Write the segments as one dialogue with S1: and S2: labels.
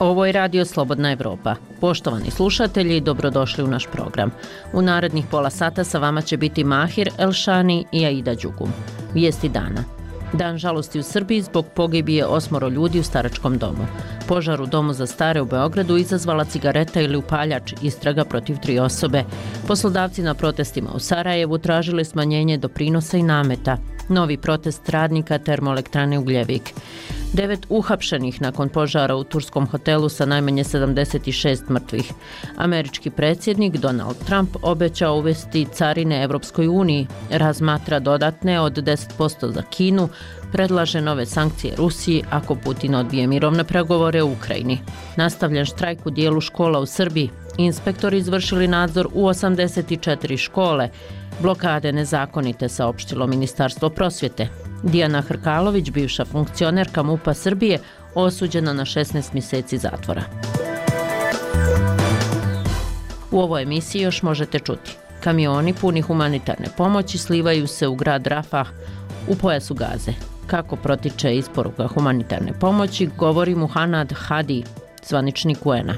S1: Ovo je Radio Slobodna Evropa. Poštovani slušatelji, dobrodošli u naš program. U narednih pola sata sa vama će biti Mahir Elšani i Aida Đugum. Vijesti dana. Dan žalosti u Srbiji zbog pogibije 8 ljudi u staračkom domu. Požar u domu za stare u Beogradu izazvala cigareta ili upaljač, istraga protiv 3 osobe. Poslodavci na protestima u Sarajevu tražili smanjenje doprinosa i nameta. Novi protest radnika termoelektrane Ugljevik. 9 uhapšenih nakon požara u turskom hotelu sa najmanje 76 mrtvih. Američki predsjednik Donald Trump obećao uvesti carine Evropskoj uniji, razmatra dodatne od 10% za Kinu, predlaže nove sankcije Rusiji ako Putin odbije mirovne pregovore u Ukrajini. Nastavljen štrajk u dijelu škola u Srbiji. Inspektori izvršili nadzor u 84 škole. Blokade nezakonite, saopštilo Ministarstvo prosvjete. Dijana Hrkalović, bivša funkcionerka MUP-a Srbije, osuđena na 16 mjeseci zatvora. U ovoj emisiji još možete čuti. Kamioni puni humanitarne pomoći slivaju se u grad Rafah u pojasu Gaze. Kako protiče isporuka humanitarne pomoći, govori Muhanad Hadi, zvaničnik UN-a.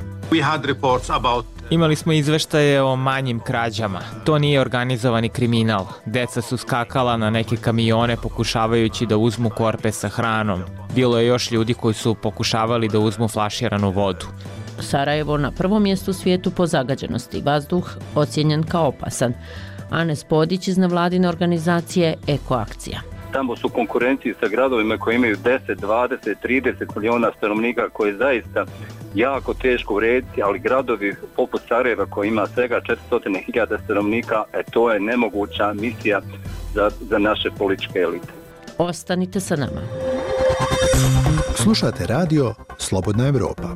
S2: Imali smo izveštaje o manjim krađama. To nije organizovani kriminal. Deca su skakala na neke kamione pokušavajući da uzmu korpe sa hranom. Bilo je još ljudi koji su pokušavali da uzmu flaširanu vodu.
S1: Sarajevo na prvom mjestu u svijetu po zagađenosti. Vazduh ocijenjen kao opasan. Anes Podić iz nevladine organizacije Ekoakcija.
S3: Tamo su konkurenciji sa gradovima koji imaju 10, 20, 30 milijuna stanovnika, koje je zaista jako teško urediti, ali gradovi poput Sarajeva koji ima svega 400.000 stanovnika, to je nemoguća misija za naše političke elite.
S1: Ostanite sa nama.
S4: Slušate radio Slobodna Evropa.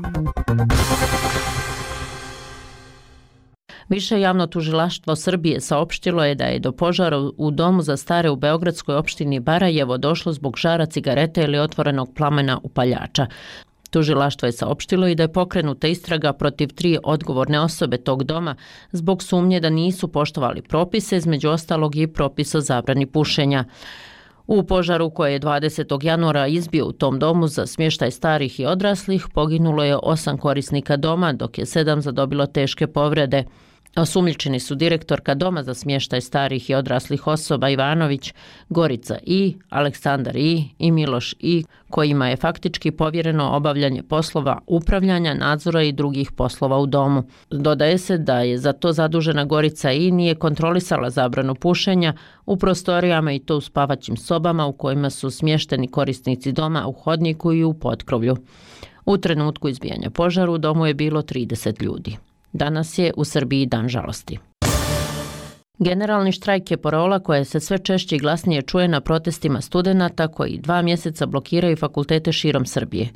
S1: Više javno tužilaštvo Srbije saopštilo je da je do požara u domu za stare u beogradskoj opštini Barajevo došlo zbog žara cigarete ili otvorenog plamena upaljača. Tužilaštvo je saopštilo i da je pokrenuta istraga protiv 3 odgovorne osobe tog doma zbog sumnje da nisu poštovali propise, između ostalog i propis o zabrani pušenja. U požaru koji je 20. januara izbio u tom domu za smještaj starih i odraslih poginulo je 8 korisnika doma, dok je 7 zadobilo teške povrede. Osumnjičeni su direktorka Doma za smještaj starih i odraslih osoba Ivanović, Gorica I, Aleksandar I Miloš I, kojima je faktički povjereno obavljanje poslova upravljanja, nadzora i drugih poslova u domu. Dodaje se da je za to zadužena Gorica I nije kontrolisala zabranu pušenja u prostorijama i to u spavaćim sobama u kojima su smješteni korisnici doma, u hodniku i u potkrovlju. U trenutku izbijanja požara u domu je bilo 30 ljudi. Danas je u Srbiji dan žalosti. Generalni štrajk je parola koja se sve češće i glasnije čuje na protestima studenata koji 2 mjeseca blokiraju fakultete širom Srbije.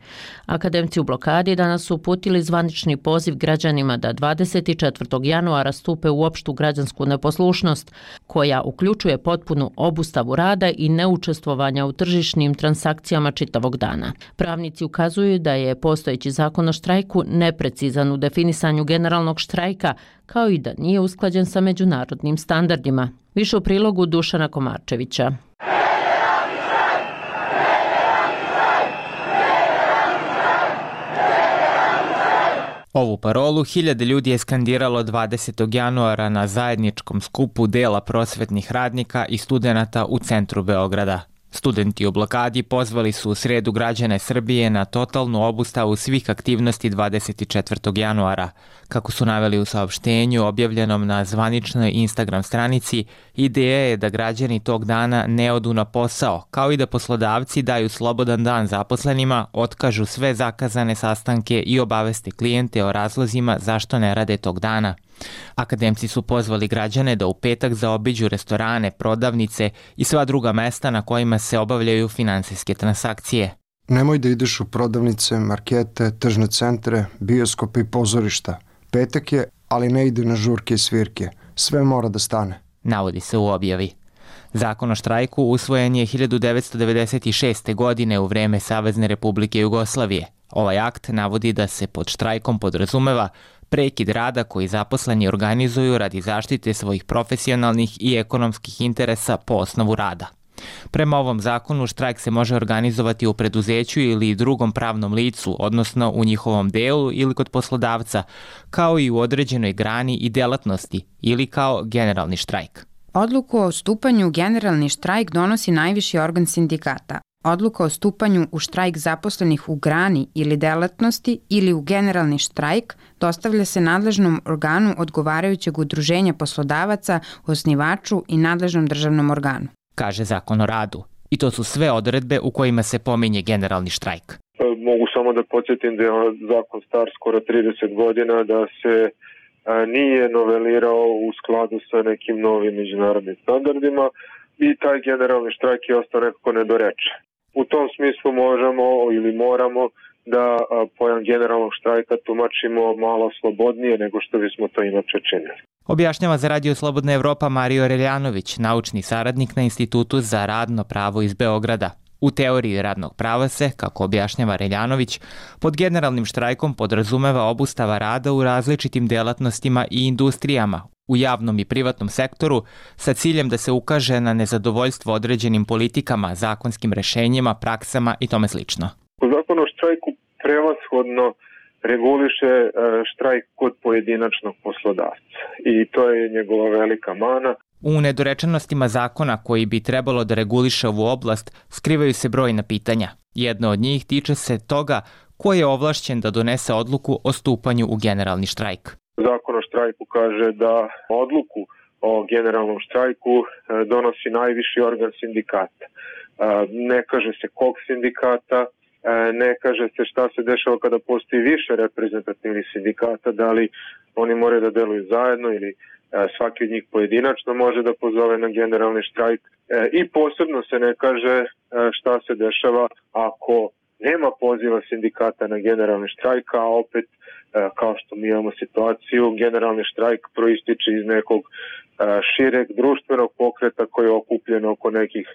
S1: Akademci u blokadi danas su uputili zvanični poziv građanima da 24. januara stupe u opštu građansku neposlušnost, koja uključuje potpunu obustavu rada i neučestvovanja u tržišnim transakcijama čitavog dana. Pravnici ukazuju da je postojeći zakon o štrajku neprecizan u definisanju generalnog štrajka, kao i da nije usklađen sa međunarodnim standardima. Više u prilogu Dušana Komarčevića.
S2: Ovu parolu hiljade ljudi je skandiralo 20. januara na zajedničkom skupu dela prosvetnih radnika i studenata u centru Beograda. Studenti u blokadi pozvali su u sredu građane Srbije na totalnu obustavu svih aktivnosti 24. januara. Kako su naveli u saopštenju objavljenom na zvaničnoj Instagram stranici, ideja je da građani tog dana ne odu na posao, kao i da poslodavci daju slobodan dan zaposlenima, otkažu sve zakazane sastanke i obaveste klijente o razlozima zašto ne rade tog dana. Akademci su pozvali građane da u petak zaobiđu restorane, prodavnice i sva druga mesta na kojima se obavljaju finansijske transakcije.
S5: Nemoj da ideš u prodavnice, markete, tržne centre, bioskope i pozorišta. Petak je, ali ne ide na žurke i svirke. Sve mora da stane.
S2: Navodi se u objavi. Zakon o štrajku usvojen je 1996. godine u vreme Savezne Republike Jugoslavije. Ovaj akt navodi da se pod štrajkom podrazumeva prekid rada koji zaposleni organizuju radi zaštite svojih profesionalnih i ekonomskih interesa po osnovu rada. Prema ovom zakonu štrajk se može organizovati u preduzeću ili drugom pravnom licu, odnosno u njihovom delu ili kod poslodavca, kao i u određenoj grani i delatnosti ili kao generalni štrajk.
S6: Odluku o stupanju u generalni štrajk donosi najviši organ sindikata. Odluka o stupanju u štrajk zaposlenih u grani ili delatnosti ili u generalni štrajk dostavlja se nadležnom organu odgovarajućeg udruženja poslodavaca, osnivaču i nadležnom državnom organu,
S2: kaže Zakon o radu. I to su sve odredbe u kojima se pominje generalni štrajk.
S7: Mogu samo da podsjetim da je zakon star skoro 30 godina, da se nije novelirao u skladu sa nekim novim međunarodnim standardima i taj generalni štrajk je ostao nekako nedorečen. U tom smislu možemo ili moramo da pojam generalnog štrajka tumačimo malo slobodnije nego što bismo to inače činili.
S2: Objašnjava za Radio Slobodna Evropa Mario Reljanović, naučni saradnik na Institutu za radno pravo iz Beograda. U teoriji radnog prava se, kako objašnjava Reljanović, pod generalnim štrajkom podrazumeva obustava rada u različitim delatnostima i industrijama, u javnom i privatnom sektoru, sa ciljem da se ukaže na nezadovoljstvo određenim politikama, zakonskim rešenjima, praksama i tome slično.
S7: Zakon o štrajku prevashodno reguliše štrajk kod pojedinačnog poslodavca i to je njegova velika mana.
S2: U nedorečenostima zakona koji bi trebalo da reguliše ovu oblast skrivaju se brojna pitanja. Jedno od njih tiče se toga ko je ovlašćen da donese odluku o stupanju u generalni štrajk.
S7: Zakon o štrajku kaže da odluku o generalnom štrajku donosi najviši organ sindikata. Ne kaže se kog sindikata, ne kaže se šta se dešava kada postoji više reprezentativnih sindikata, da li oni moraju da deluju zajedno ili svaki od njih pojedinačno može da pozove na generalni štrajk. I posebno se ne kaže šta se dešava ako nema poziva sindikata na generalni štrajk, a opet, kao što mi imamo situaciju, generalni štrajk proističe iz nekog šireg društvenog pokreta koji je okupljen oko nekih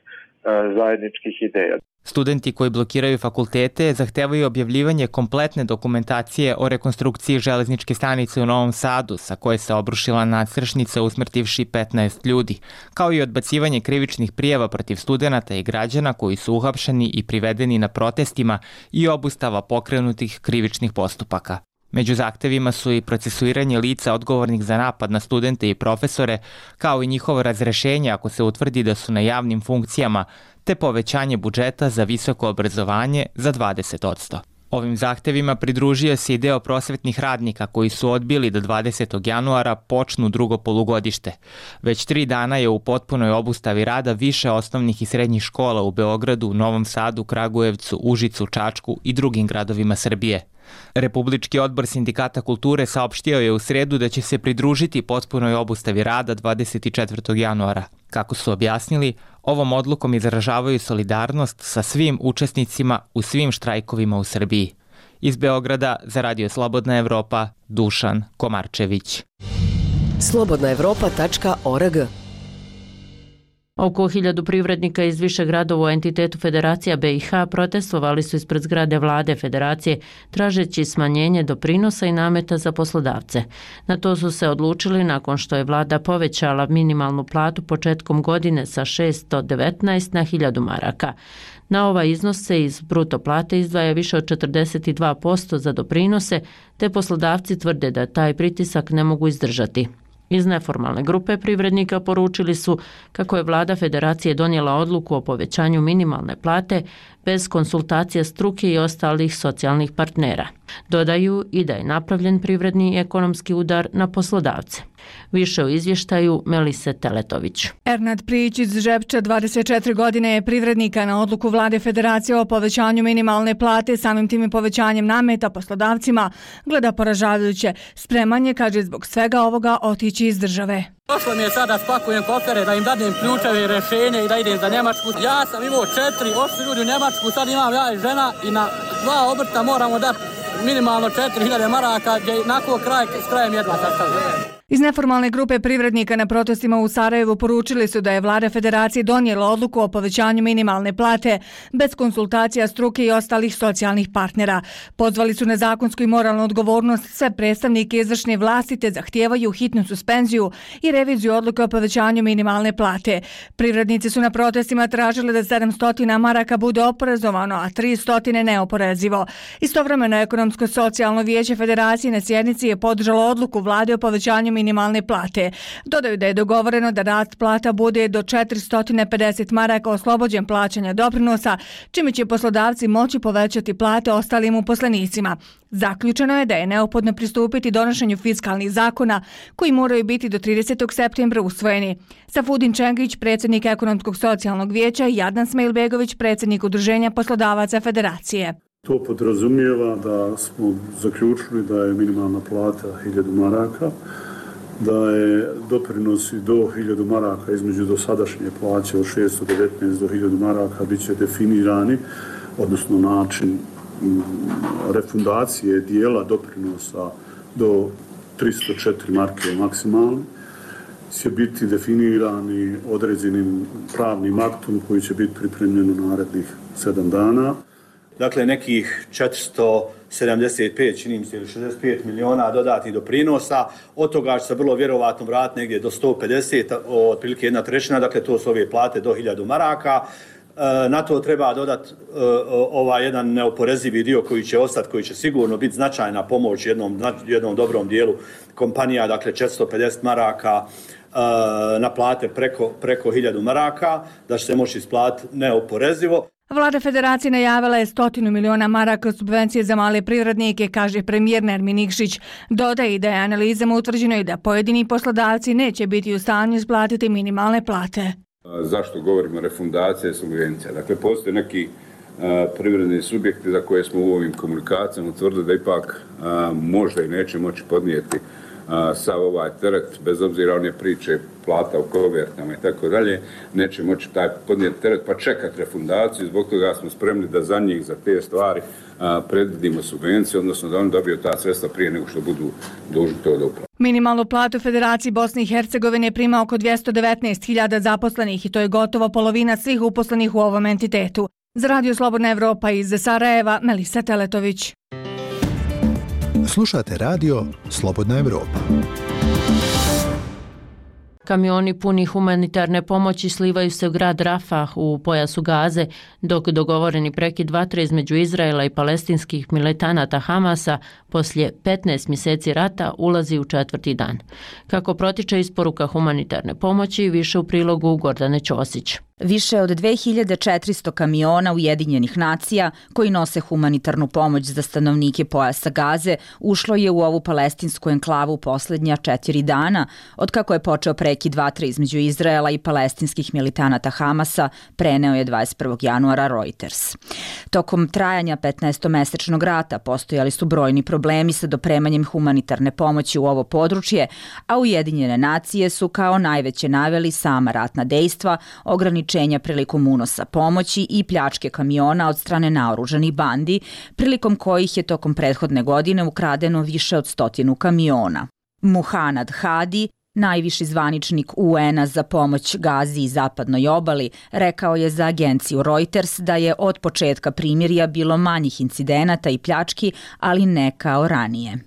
S7: zajedničkih ideja.
S2: Studenti koji blokiraju fakultete zahtevaju objavljivanje kompletne dokumentacije o rekonstrukciji železničke stanice u Novom Sadu, sa koje se obrušila nadstrešnica usmrtivši 15 ljudi, kao i odbacivanje krivičnih prijava protiv studenata i građana koji su uhapšeni i privedeni na protestima i obustava pokrenutih krivičnih postupaka. Među zahtevima su i procesuiranje lica odgovornih za napad na studente i profesore, kao i njihovo razrešenje ako se utvrdi da su na javnim funkcijama, te povećanje budžeta za visoko obrazovanje za 20%. Ovim zahtevima pridružio se i deo prosvetnih radnika koji su odbili da 20. januara počnu drugo polugodište. Već 3 dana je u potpunoj obustavi rada više osnovnih i srednjih škola u Beogradu, Novom Sadu, Kragujevcu, Užicu, Čačku i drugim gradovima Srbije. Republički odbor Sindikata kulture saopštio je u sredu da će se pridružiti potpunoj obustavi rada 24. januara. Kako su objasnili, ovom odlukom izražavaju solidarnost sa svim učesnicima u svim štrajkovima u Srbiji. Iz Beograda za Radio Slobodna Evropa, Dušan Komarčević.
S8: slobodnaevropa.org.
S1: Oko 1000 privrednika iz više gradova u entitetu Federacija BiH protestovali su ispred zgrade vlade Federacije tražeći smanjenje doprinosa i nameta za poslodavce. Na to su se odlučili nakon što je vlada povećala minimalnu platu početkom godine sa 619 na 1000 maraka. Na ovaj iznos se iz bruto plate izdvaja više od 42% za doprinose, te poslodavci tvrde da taj pritisak ne mogu izdržati. Iz neformalne grupe privrednika poručili su kako je vlada Federacije donijela odluku o povećanju minimalne plate bez konsultacija struke i ostalih socijalnih partnera. Dodaju i da je napravljen privredni i ekonomski udar na poslodavce. Više u izvještaju Melise Teletović.
S9: Ernad Prijić iz Žepča, 24 godine, je privrednika na odluku vlade Federacije o povećanju minimalne plate, samim tim i povećanjem nameta poslodavcima, gleda poražavajuće. Spreman je, kaže, zbog svega ovoga otići iz države.
S10: Došlo mi je sada spakujem kofere da im dadnem ključeve i rešenje i da idem za Njemačku. Ja sam imao 4, ošli ljudi u Njemačku, sad imam ja i žena i na 2 obrta moramo dati minimalno 4000 maraka, gdje nakon s krajem jedva sastavljaju.
S9: Iz neformalne grupe privrednika na protestima u Sarajevu poručili su da je vlada federacije donijela odluku o povećanju minimalne plate bez konsultacija struke i ostalih socijalnih partnera. Pozvali su na zakonsku i moralnu odgovornost sve predstavnike izvršne vlasti te zahtijevaju hitnu suspenziju i reviziju odluke o povećanju minimalne plate. Privrednici su na protestima tražili da 700 maraka bude oporezovano, a 300 neoporezivo. Istovremeno Ekonomsko-socijalno vijeće federacije na sjednici je podržalo odluku vlade o povećanju minimalne plate. Dodaju da je dogovoreno da rast plata bude do 450 maraka oslobođen plaćanja doprinosa, čime će poslodavci moći povećati plate ostalim uposlenicima. Zaključeno je da je neophodno pristupiti donošenju fiskalnih zakona koji moraju biti do 30. septembra usvojeni. Safudin Čengić, predsjednik Ekonomskog-socijalnog vijeća, i Adnan Smailbegović, predsjednik Udruženja poslodavaca federacije.
S8: To podrazumijeva da smo zaključili da je minimalna plata 1000 maraka, da je doprinosi do 1000 maraka između dosadašnje plaće od 619 do 1000 maraka bit će definirani, odnosno način refundacije dijela doprinosa do 304 marke maksimalno će biti definirani određenim pravnim aktom koji će biti pripremljen u narednih 7 dana.
S11: Dakle, nekih 475, čini mi se, ili 65 miliona dodatnih doprinosa, od toga će se vrlo vjerovatno vratiti negdje do 150, otprilike 1/3, dakle to su ove plate do 1000 maraka. Na to treba dodati ovaj jedan neoporezivi dio koji će ostati, koji će sigurno biti značajna pomoć jednom dobrom dijelu kompanija, dakle 450 maraka na plate preko 1000 maraka, da će se moći isplatiti neoporezivo.
S9: Vlada federacije najavila je 100 miliona maraka subvencije za male privrednike, kaže premijer Nermin Nikšić. Dodaje da je analizama utvrđeno i da pojedini poslodavci neće biti u stanju isplatiti minimalne plate.
S12: Zašto govorimo refundacija i subvencija? Dakle, postoje neki privredni subjekti za koje smo u ovim komunikacijama utvrdili da ipak možda i neće moći podnijeti sav ovaj teret, bez obzira one priče plata u kovertama i tako dalje, neće moći taj podnijeti teret pa čekati refundaciju. Zbog toga smo spremni da za njih, za te stvari predvidimo subvenciju, odnosno da oni dobiju ta sredstva prije nego što budu dužni to da uplate.
S9: Minimalnu platu u Federaciji Bosne i Hercegovine prima oko 219.000 zaposlenih i to je gotovo polovina svih uposlenih u ovom entitetu. Za Radio Slobodna Evropa iz Sarajeva, Melisa Teletović.
S4: Slušate radio Slobodna Evropa.
S1: Kamioni puni humanitarne pomoći slivaju se u grad Rafah u pojasu Gaze, dok dogovoreni prekid vatre između Izraela i palestinskih militanata Hamasa poslije 15 mjeseci rata ulazi u 4. dan. Kako protiče isporuka humanitarne pomoći, više u prilogu Gordane Ćosić.
S13: Više od 2400 kamiona Ujedinjenih nacija koji nose humanitarnu pomoć za stanovnike pojasa Gaze ušlo je u ovu palestinsku enklavu posljednja 4 dana, otkako je počeo prekid vatre između Izraela i palestinskih militanata Hamasa, preneo je 21. januara Reuters. Tokom trajanja 15-mesečnog rata postojali su brojni problemi sa dopremanjem humanitarne pomoći u ovo područje, a Ujedinjene nacije su kao najveće naveli sama ratna dejstva, ograničenja prilikom unosa pomoći i pljačke kamiona od strane naoružanih bandi, prilikom kojih je tokom prethodne godine ukradeno više od 100 kamiona. Muhanad Hadi, najviši zvaničnik UN-a za pomoć Gazi i zapadnoj obali, rekao je za agenciju Reuters da je od početka primirja bilo manjih incidenata i pljački, ali ne kao ranije.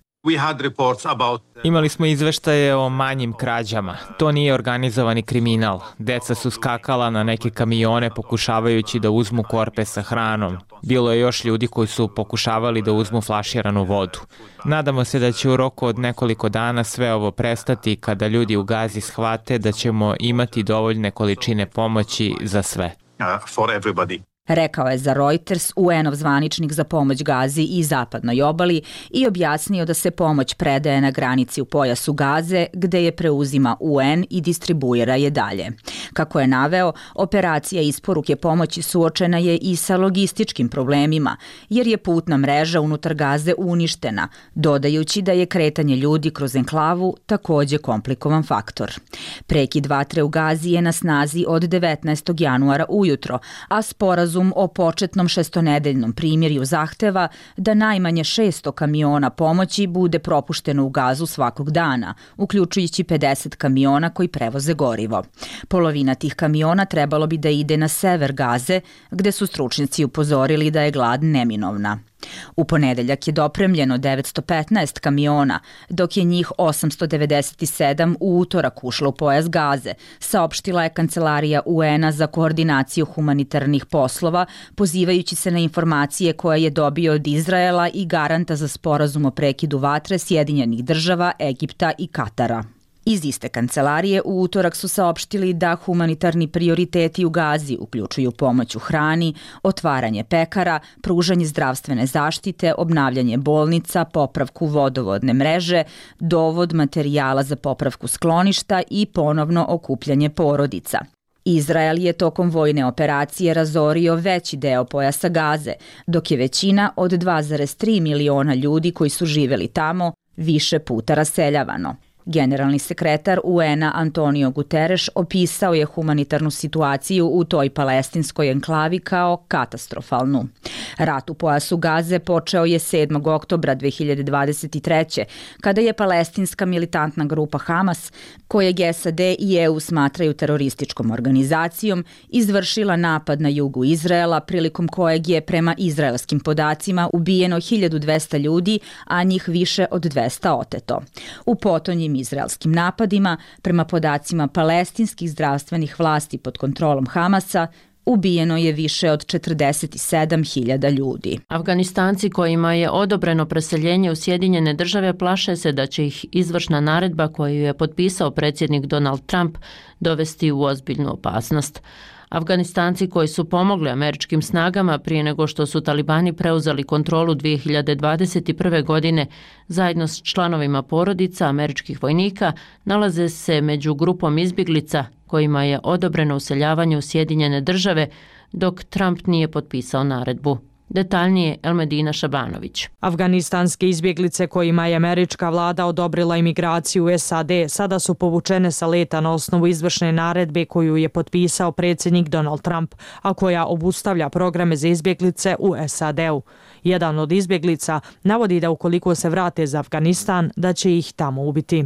S2: Imali smo izveštaje o manjim krađama. To nije organizovani kriminal. Deca su skakala na neke kamione pokušavajući da uzmu korpe sa hranom. Bilo je još ljudi koji su pokušavali da uzmu flaširanu vodu. Nadamo se da će u roku od nekoliko dana sve ovo prestati kada ljudi u Gazi shvate da ćemo imati dovoljne količine pomoći za sve.
S13: Rekao je za Reuters UN-ov zvaničnik za pomoć Gazi i zapadnoj obali i objasnio da se pomoć predaje na granici u pojasu Gaze, gde je preuzima UN i distribuira je dalje. Kako je naveo, operacija isporuke pomoći suočena je i sa logističkim problemima, jer je putna mreža unutar Gaze uništena, dodajući da je kretanje ljudi kroz enklavu također komplikovan faktor. Prekid vatre u Gazi je na snazi od 19. januara ujutro, a sporazum sporazum o početnom šestonedeljnom primirju zahteva da najmanje 600 kamiona pomoći bude propušteno u Gazu svakog dana, uključujući 50 kamiona koji prevoze gorivo. Polovina tih kamiona trebalo bi da ide na sever Gaze, gde su stručnjaci upozorili da je glad neminovna. U ponedeljak je dopremljeno 915 kamiona, dok je njih 897 u utorak ušlo u pojas Gaze, saopštila je Kancelarija UN-a za koordinaciju humanitarnih poslova, pozivajući se na informacije koje je dobio od Izraela i garanta za sporazum o prekidu vatre Sjedinjenih država, Egipta i Katara. Iz iste kancelarije u utorak su saopštili da humanitarni prioriteti u Gazi uključuju pomoć u hrani, otvaranje pekara, pružanje zdravstvene zaštite, obnavljanje bolnica, popravku vodovodne mreže, dovod materijala za popravku skloništa i ponovno okupljanje porodica. Izrael je tokom vojne operacije razorio veći deo pojasa Gaze, dok je većina od 2,3 miliona ljudi koji su živeli tamo više puta raseljavano. Generalni sekretar UN-a Antonio Guterres opisao je humanitarnu situaciju u toj palestinskoj enklavi kao katastrofalnu. Rat u pojasu Gaze počeo je 7. oktobra 2023. kada je palestinska militantna grupa Hamas, kojeg SAD i EU smatraju terorističkom organizacijom, izvršila napad na jugu Izraela, prilikom kojeg je prema izraelskim podacima ubijeno 1200 ljudi, a njih više od 200 oteto. U potonjim izraelskim napadima, prema podacima palestinskih zdravstvenih vlasti pod kontrolom Hamasa, ubijeno je više od 47.000 ljudi.
S1: Afganistanci kojima je odobreno preseljenje u Sjedinjene države plaše se da će ih izvršna naredba koju je potpisao predsjednik Donald Trump dovesti u ozbiljnu opasnost. Afganistanci koji su pomogli američkim snagama prije nego što su talibani preuzeli kontrolu 2021. godine zajedno s članovima porodica američkih vojnika nalaze se među grupom izbjeglica kojima je odobreno useljavanje u Sjedinjene države dok Trump nije potpisao naredbu. Detaljnije Elmedina Šabanović.
S14: Afganistanske izbjeglice kojima je američka vlada odobrila imigraciju u SAD sada su povučene sa leta na osnovu izvršne naredbe koju je potpisao predsjednik Donald Trump, a koja obustavlja programe za izbjeglice u SAD-u. Jedan od izbjeglica navodi da ukoliko se vrate za Afganistan, da će ih tamo ubiti.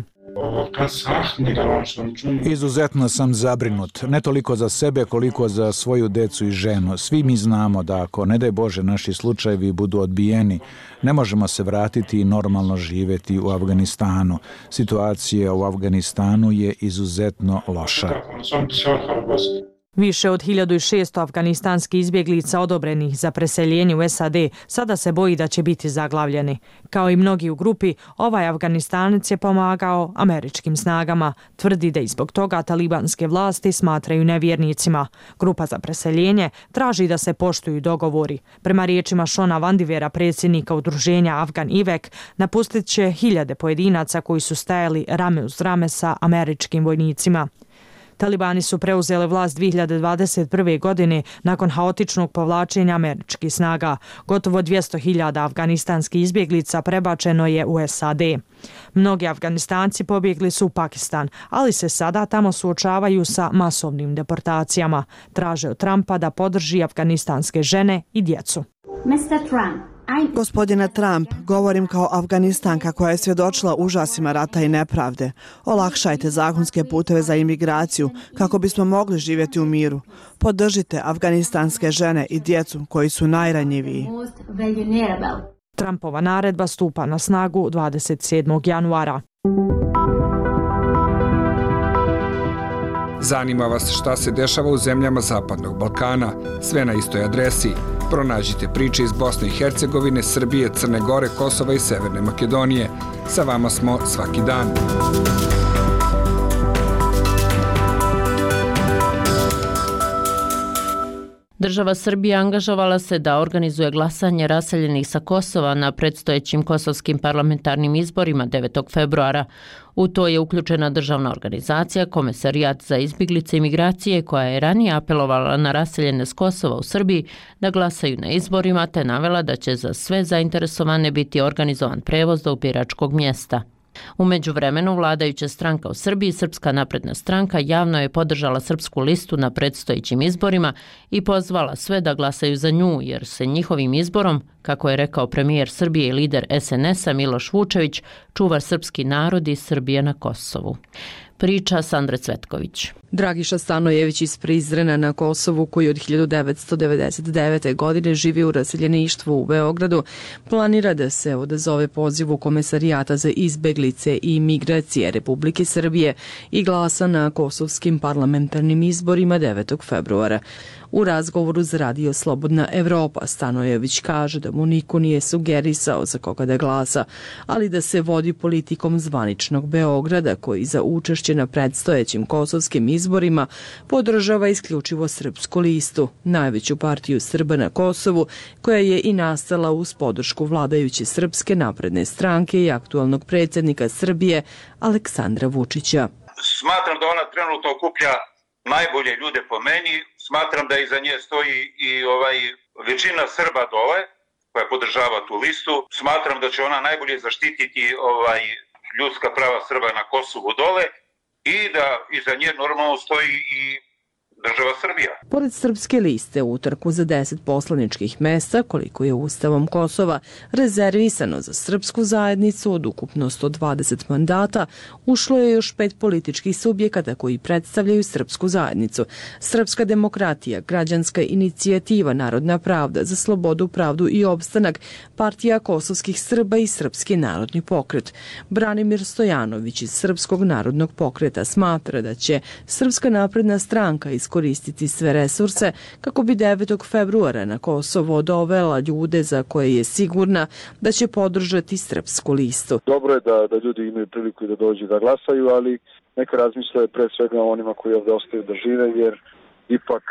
S15: Izuzetno sam zabrinut, ne toliko za sebe koliko za svoju decu i ženu. Svi mi znamo da ako, ne daj Bože, naši slučajevi budu odbijeni, ne možemo se vratiti i normalno živjeti u Afganistanu. Situacija u Afganistanu je izuzetno loša.
S14: Više od 1600 afganistanskih izbjeglica odobrenih za preseljenje u SAD sada se boji da će biti zaglavljeni. Kao i mnogi u grupi, ovaj Afganistanac je pomagao američkim snagama. Tvrdi da i zbog toga talibanske vlasti smatraju nevjernicima. Grupa za preseljenje traži da se poštuju dogovori. Prema riječima Šona Vandivera, predsjednika udruženja Afgan Ivek, napustit će hiljade pojedinaca koji su stajali rame uz rame sa američkim vojnicima. Talibani su preuzeli vlast 2021. godine nakon haotičnog povlačenja američkih snaga. Gotovo 200.000 afganistanskih izbjeglica prebačeno je u SAD. Mnogi Afganistanci pobjegli su u Pakistan, ali se sada tamo suočavaju sa masovnim deportacijama. Traže od Trumpa da podrži afganistanske žene i djecu.
S16: Mr. Trump. Gospodine Trump, govorim kao Afganistanka koja je svjedočila užasima rata i nepravde. Olakšajte zakonske puteve za imigraciju kako bismo mogli živjeti u miru. Podržite afganistanske žene i djecu koji su najranjiviji.
S14: Trumpova naredba stupa na snagu 27. januara.
S17: Zanima vas šta se dešava u zemljama Zapadnog Balkana? Sve na istoj adresi. Pronađite priče iz Bosne i Hercegovine, Srbije, Crne Gore, Kosova i Severne Makedonije. Sa vama smo svaki dan.
S1: Država Srbija angažovala se da organizuje glasanje raseljenih sa Kosova na predstojećim kosovskim parlamentarnim izborima 9. februara. U to je uključena državna organizacija Komesarijat za izbjeglice i migracije koja je ranije apelovala na raseljene s Kosova u Srbiji da glasaju na izborima te navela da će za sve zainteresovane biti organizovan prevoz do biračkog mjesta. U međuvremenu, vladajuća stranka u Srbiji, Srpska napredna stranka, javno je podržala Srpsku listu na predstojećim izborima i pozvala sve da glasaju za nju, jer se njihovim izborom, kako je rekao premijer Srbije i lider SNS-a Miloš Vučević, čuva srpski narod i Srbija na Kosovu. Priča Sandre Cvetković.
S18: Dragiša Stanojević iz Prizrena na Kosovu, koji od 1999. godine živi u raseljeništvu u Beogradu, planira da se odazove pozivu Komesarijata za izbeglice i migracije Republike Srbije i glasa na kosovskim parlamentarnim izborima 9. februara. U razgovoru za radio Slobodna Evropa Stanojević kaže da mu niko nije sugerisao za koga da glasa, ali da se vodi politikom zvaničnog Beograda, koji za učešće na predstojećim kosovskim izborima podržava isključivo Srpsku listu, najveću partiju Srba na Kosovu, koja je i nastala uz podršku vladajuće Srpske napredne stranke i aktualnog predsjednika Srbije Aleksandra Vučića.
S19: Smatram da ona trenutno okuplja najbolje ljude po meni. Smatram da iza nje stoji i većina Srba dole koja podržava tu listu. Smatram da će ona najbolje zaštititi ljudska prava Srba na Kosovu dole i da iza nje normalno stoji i država Srbija.
S18: Pored Srpske liste, u utrku za 10 poslaničkih mesta, koliko je Ustavom Kosova rezervisano za srpsku zajednicu od ukupno 120 mandata, ušlo je još 5 političkih subjekata koji predstavljaju srpsku zajednicu. Srpska demokratija, Građanska inicijativa, Narodna pravda za slobodu, pravdu i opstanak, Partija kosovskih Srba i Srpski narodni pokret. Branimir Stojanović iz Srpskog narodnog pokreta smatra da će Srpska napredna stranka iskoristiti sve resurse kako bi 9. februara na Kosovo dovela ljude za koje je sigurna da će podržati Srpsku listu.
S20: Dobro je da ljudi imaju priliku da dođu da glasaju, ali neka razmisle pre svega o onima koji ovde ostaju da žive, jer ipak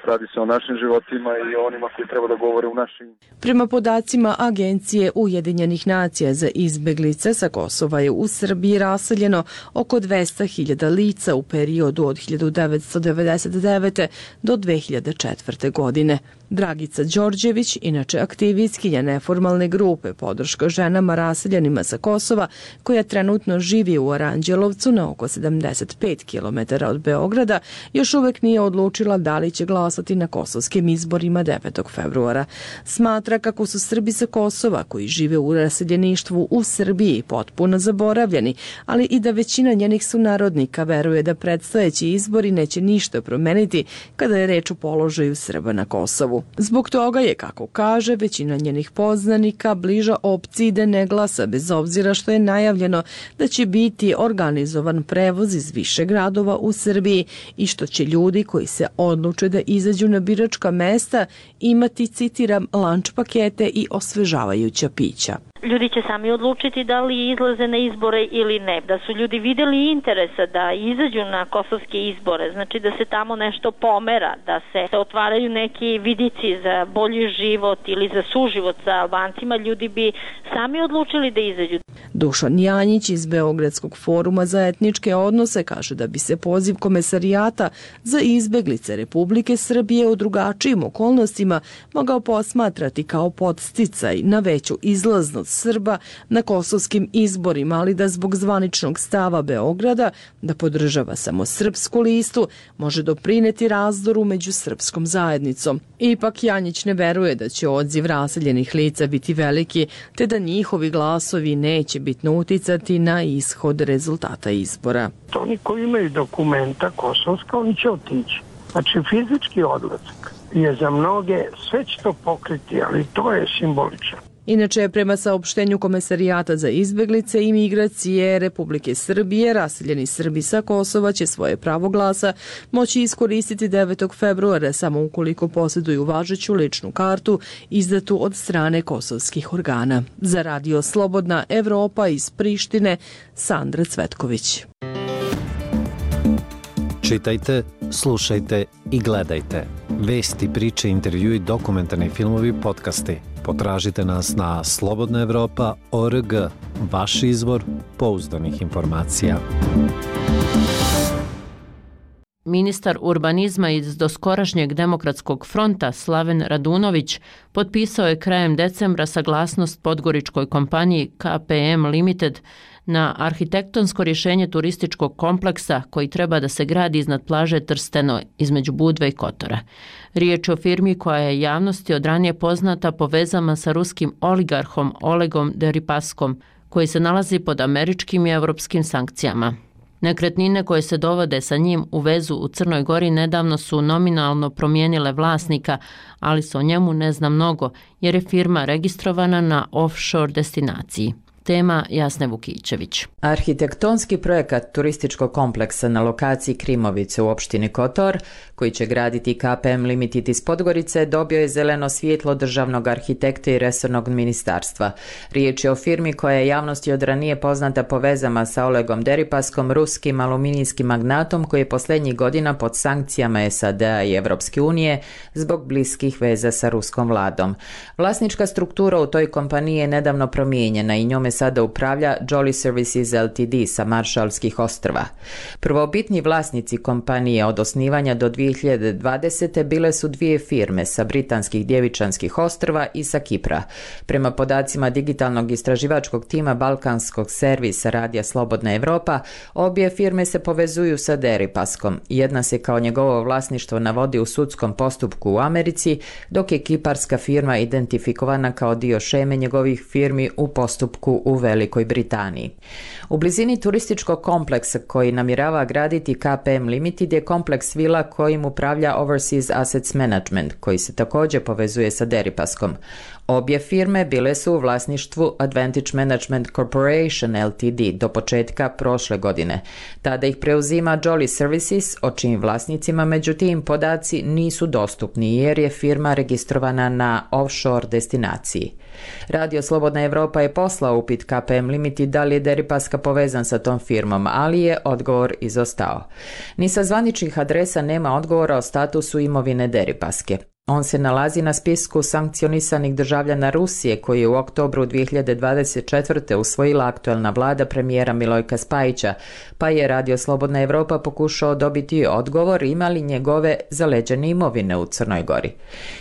S20: radi se o našim životima i o onima koji treba da govore u našim.
S18: Prema podacima Agencije Ujedinjenih nacija za izbeglice, sa Kosova je u Srbiji raseljeno oko 200.000 lica u periodu od 1999. do 2004. godine. Dragica Đorđević, inače aktivistkinja neformalne grupe Podrška ženama raseljenima sa Kosova, koja trenutno živi u Aranđelovcu na oko 75 km od Beograda, još uvek nije odlučila da li će glasati na kosovskim izborima 9. februara. Smatra kako su Srbi sa Kosova koji žive u raseljeništvu u Srbiji potpuno zaboravljeni, ali i da većina njenih sunarodnika veruje da predstojeći izbori neće ništa promeniti kada je reč o položaju Srba na Kosovu. Zbog toga je, kako kaže, većina njenih poznanika bliža opciji da ne glasa, bez obzira što je najavljeno da će biti organizovan prevoz iz više gradova u Srbiji i što će ljudi koji se odluče da izađu na biračka mesta imati, citiram, lanč pakete i osvežavajuća pića.
S21: Ljudi će sami odlučiti da li izlaze na izbore ili ne. Da su ljudi vidjeli interesa da izađu na kosovske izbore, znači da se tamo nešto pomera, da se otvaraju neki vidici za bolji život ili za suživot sa Albancima, ljudi bi sami odlučili da izađu.
S18: Dušan Janjić iz Beogradskog foruma za etničke odnose kaže da bi se poziv Komesarijata za izbeglice Republike Srbije u drugačijim okolnostima mogao posmatrati kao podsticaj na veću izlaznost Srba na kosovskim izborima, ali da zbog zvaničnog stava Beograda da podržava samo Srpsku listu može doprineti razdoru među srpskom zajednicom. Ipak Janjić ne veruje da će odziv raseljenih lica biti veliki, te da njihovi glasovi neće bitno uticati na ishod rezultata izbora.
S22: Oni koji imaju dokumenta kosovska, oni će otići. Znači fizički odlazak je za mnoge, sve će to pokriti, ali to je simbolično.
S18: Inače, prema saopštenju Komesarijata za izbeglice i migracije Republike Srbije, raseljeni Srbi sa Kosova će svoje pravo glasa moći iskoristiti 9. februara samo ukoliko posjeduju važeću ličnu kartu izdatu od strane kosovskih organa. Za radio Slobodna Evropa iz Prištine, Sandra Cvetković.
S23: Čitajte, slušajte i gledajte. Vesti, priče, intervjui, dokumentarni filmovi, podcasti. Potražite nas na slobodnaevropa.org, vaš izvor pouzdanih informacija.
S1: Ministar urbanizma iz doskorašnjeg Demokratskog fronta Slaven Radunović potpisao je krajem decembra saglasnost podgoričkoj kompaniji KPM Limited na arhitektonsko rješenje turističkog kompleksa koji treba da se gradi iznad plaže Trsteno između Budve i Kotora. Riječ je o firmi koja je javnosti od ranije poznata po vezama sa ruskim oligarhom Olegom Deripaskom, koji se nalazi pod američkim i europskim sankcijama. Nekretnine koje se dovode sa njim u vezu u Crnoj Gori nedavno su nominalno promijenile vlasnika, ali se o njemu ne zna mnogo jer je firma registrovana na offshore destinaciji. Tema Jasne Vukićević.
S3: Arhitektonski projekat turističkog kompleksa na lokaciji Krimovice u opštini Kotor, koji će graditi KPM Limited iz Podgorice, dobio je zeleno svjetlo državnog arhitekta i resornog ministarstva. Riječ je o firmi koja je javnosti od ranije poznata po vezama sa Olegom Deripaskom, ruskim aluminijskim magnatom koji je posljednjih godina pod sankcijama SAD-a i Evropske unije zbog bliskih veza sa ruskom vladom. Vlasnička struktura u toj kompaniji je nedavno promijenjena i njome sada upravlja Jolly Services Ltd. Sa Maršalskih ostrva. Prvobitni vlasnici kompanije od osnivanja do 2020. bile su dvije firme sa Britanskih Djevičanskih ostrva i sa Kipra. Prema podacima digitalnog istraživačkog tima Balkanskog servisa Radija Slobodna Evropa, obje firme se povezuju sa Deripaskom. Jedna se kao njegovo vlasništvo navodi u sudskom postupku u Americi, dok je kiparska firma identifikovana kao dio šeme njegovih firmi u postupku u Velikoj Britaniji. U blizini turističkog kompleksa koji namjerava graditi KPM Limited je kompleks vila kojim upravlja Overseas Assets Management, koji se također povezuje sa Deripaskom. Obje firme bile su u vlasništvu Advantage Management Corporation Ltd. Do početka prošle godine. Tada ih preuzima Jolly Services, o čijim vlasnicima međutim podaci nisu dostupni jer je firma registrovana na offshore destinaciji. Radio Slobodna Evropa je poslao upit KPM Limited da li je Deripaska povezan sa tom firmom, ali je odgovor izostao. Ni sa zvaničnih adresa nema odgovora o statusu imovine Deripaske. On se nalazi na spisku sankcionisanih državljana Rusije koji je u oktobru 2024. usvojila aktuelna vlada premijera Milojka Spajića, pa je Radio Slobodna Evropa pokušao dobiti odgovor ima li njegove zaleđene imovine u Crnoj Gori.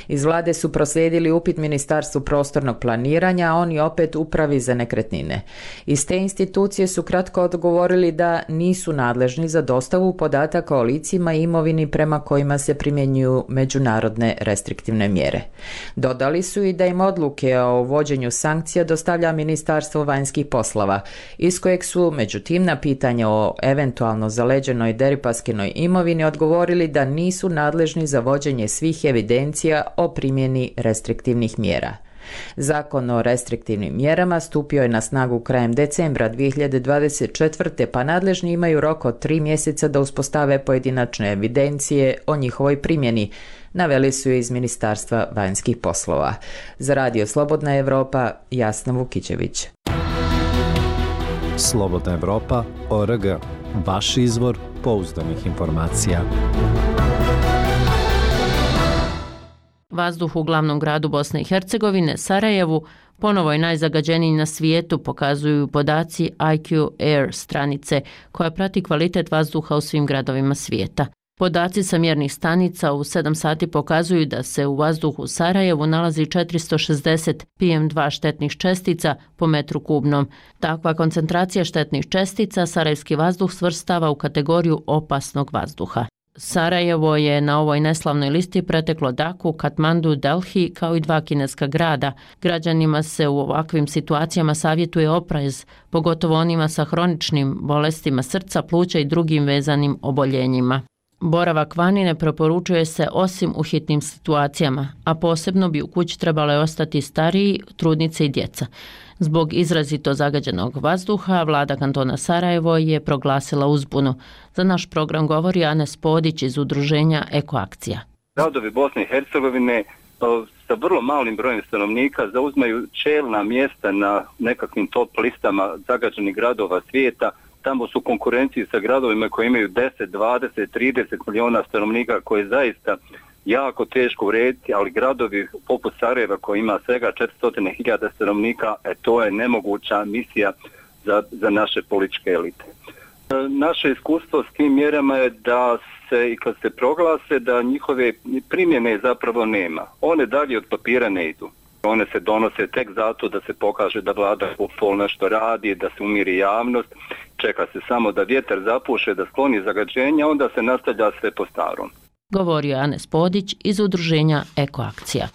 S3: Iz vlade su proslijedili upit Ministarstvu prostornog planiranja, a oni opet Upravi za nekretnine. Iz te institucije su kratko odgovorili da nisu nadležni za dostavu podataka o licima i imovini prema kojima se primjenjuju međunarodne restriktivne mjere. Dodali su i da im odluke o uvođenju sankcija dostavlja Ministarstvo vanjskih poslova, iz kojeg su međutim na pitanje o eventualno zaleđenoj Deripaskinoj imovini odgovorili da nisu nadležni za vođenje svih evidencija o primjeni restriktivnih mjera. Zakon o restriktivnim mjerama stupio je na snagu krajem decembra 2024. pa nadležni imaju rok od 3 mjeseca da uspostave pojedinačne evidencije o njihovoj primjeni, naveli su iz Ministarstva vanjskih poslova. Za Radio Slobodna Evropa, Jasna Vukićević.
S23: Slobodna Evropa, ORG, vaš izvor pouzdanih informacija.
S1: Vazduh u glavnom gradu Bosne i Hercegovine, Sarajevu, ponovo je najzagađeniji na svijetu, pokazuju podaci IQ Air stranice, koja prati kvalitet vazduha u svim gradovima svijeta. Podaci sa mjernih stanica u 7 sati pokazuju da se u vazduhu u Sarajevu nalazi 460 PM2 štetnih čestica po metru kubnom. Takva koncentracija štetnih čestica sarajevski vazduh svrstava u kategoriju opasnog vazduha. Sarajevo je na ovoj neslavnoj listi preteklo Daku, Katmandu, Delhi kao i 2 kineska grada. Građanima se u ovakvim situacijama savjetuje oprez, pogotovo onima sa hroničnim bolestima srca, pluća i drugim vezanim oboljenjima. Boravak vani ne preporučuje se osim u hitnim situacijama, a posebno bi u kući trebale ostati stariji, trudnice i djeca. Zbog izrazito zagađenog vazduha, vlada kantona Sarajevo je proglasila uzbunu. Za naš program govori Anes Podić iz udruženja Ekoakcija.
S5: Gradovi Bosne i Hercegovine sa vrlo malim brojem stanovnika zauzmaju čelna mjesta na nekakvim top listama zagađenih gradova svijeta. Tamo su konkurenciji sa gradovima koji imaju 10, 20, 30 milijuna stanovnika, koje je zaista jako teško urediti, ali gradovi poput Sarajeva koji ima svega 400.000 stanovnika, to je nemoguća misija za naše političke elite. Naše iskustvo s tim mjerama je da se i kad se proglase da njihove primjene zapravo nema. One dalje od papira ne idu. One se donose tek zato da se pokaže da vlada pol nešto radi, da se umiri javnost, čeka se samo da vjetar zapuše, da skloni zagađenja, onda se nastavlja sve po starom.
S1: Govorio je Anes Podić iz udruženja Ekoakcija.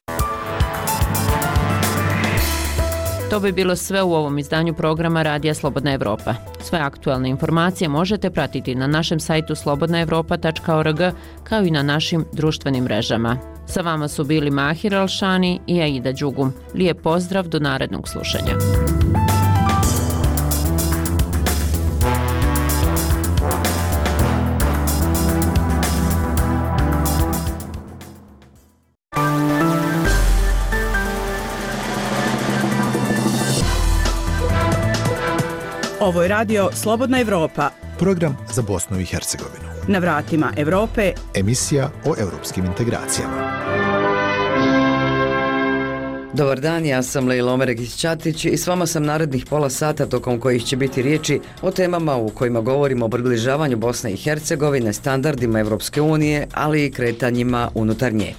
S1: To bi bilo sve u ovom izdanju programa Radija Slobodna Evropa. Sve aktualne informacije možete pratiti na našem sajtu slobodnaevropa.org kao i na našim društvenim mrežama. Sa vama su bili Mahir Alšani i Aida Đugum. Lijep pozdrav, do narednog slušanja.
S6: Ovo je radio Slobodna Evropa.
S4: Program za Bosnu i Hercegovinu.
S6: Na vratima Evrope.
S4: Emisija o europskim integracijama.
S7: Dobar dan, ja sam Lejla Omeregić-Ćatić i s vama sam narednih pola sata tokom kojih će biti riječi o temama u kojima govorimo o približavanju Bosne i Hercegovine, standardima Evropske unije, ali i kretanjima unutar nje.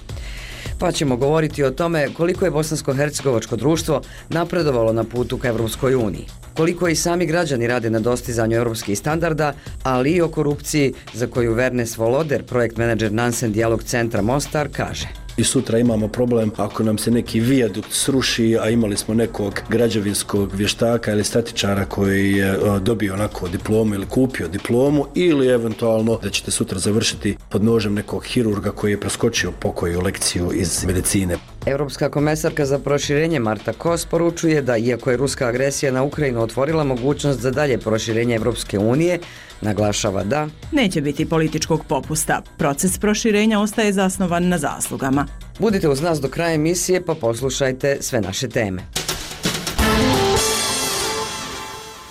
S7: Pa ćemo govoriti o tome koliko je bosansko-hercegovačko društvo napredovalo na putu ka Evropskoj uniji, koliko i sami građani rade na dostizanju europskih standarda, ali i o korupciji za koju Vernes Voloder, projekt menadžer Nansen Dijalog centra Mostar, kaže.
S10: I sutra imamo problem ako nam se neki vijadukt sruši, a imali smo nekog građevinskog vještaka ili statičara koji je dobio onako diplomu ili kupio diplomu, ili eventualno da ćete sutra završiti pod nožem nekog hirurga koji je preskočio pokoju lekciju iz medicine.
S7: Europska komesarka za proširenje Marta Kos poručuje da iako je ruska agresija na Ukrajinu otvorila mogućnost za dalje proširenje Evropske unije, naglašava da
S6: neće biti političkog popusta. Proces proširenja ostaje zasnovan na zaslugama.
S7: Budite uz nas do kraja emisije pa poslušajte sve naše teme.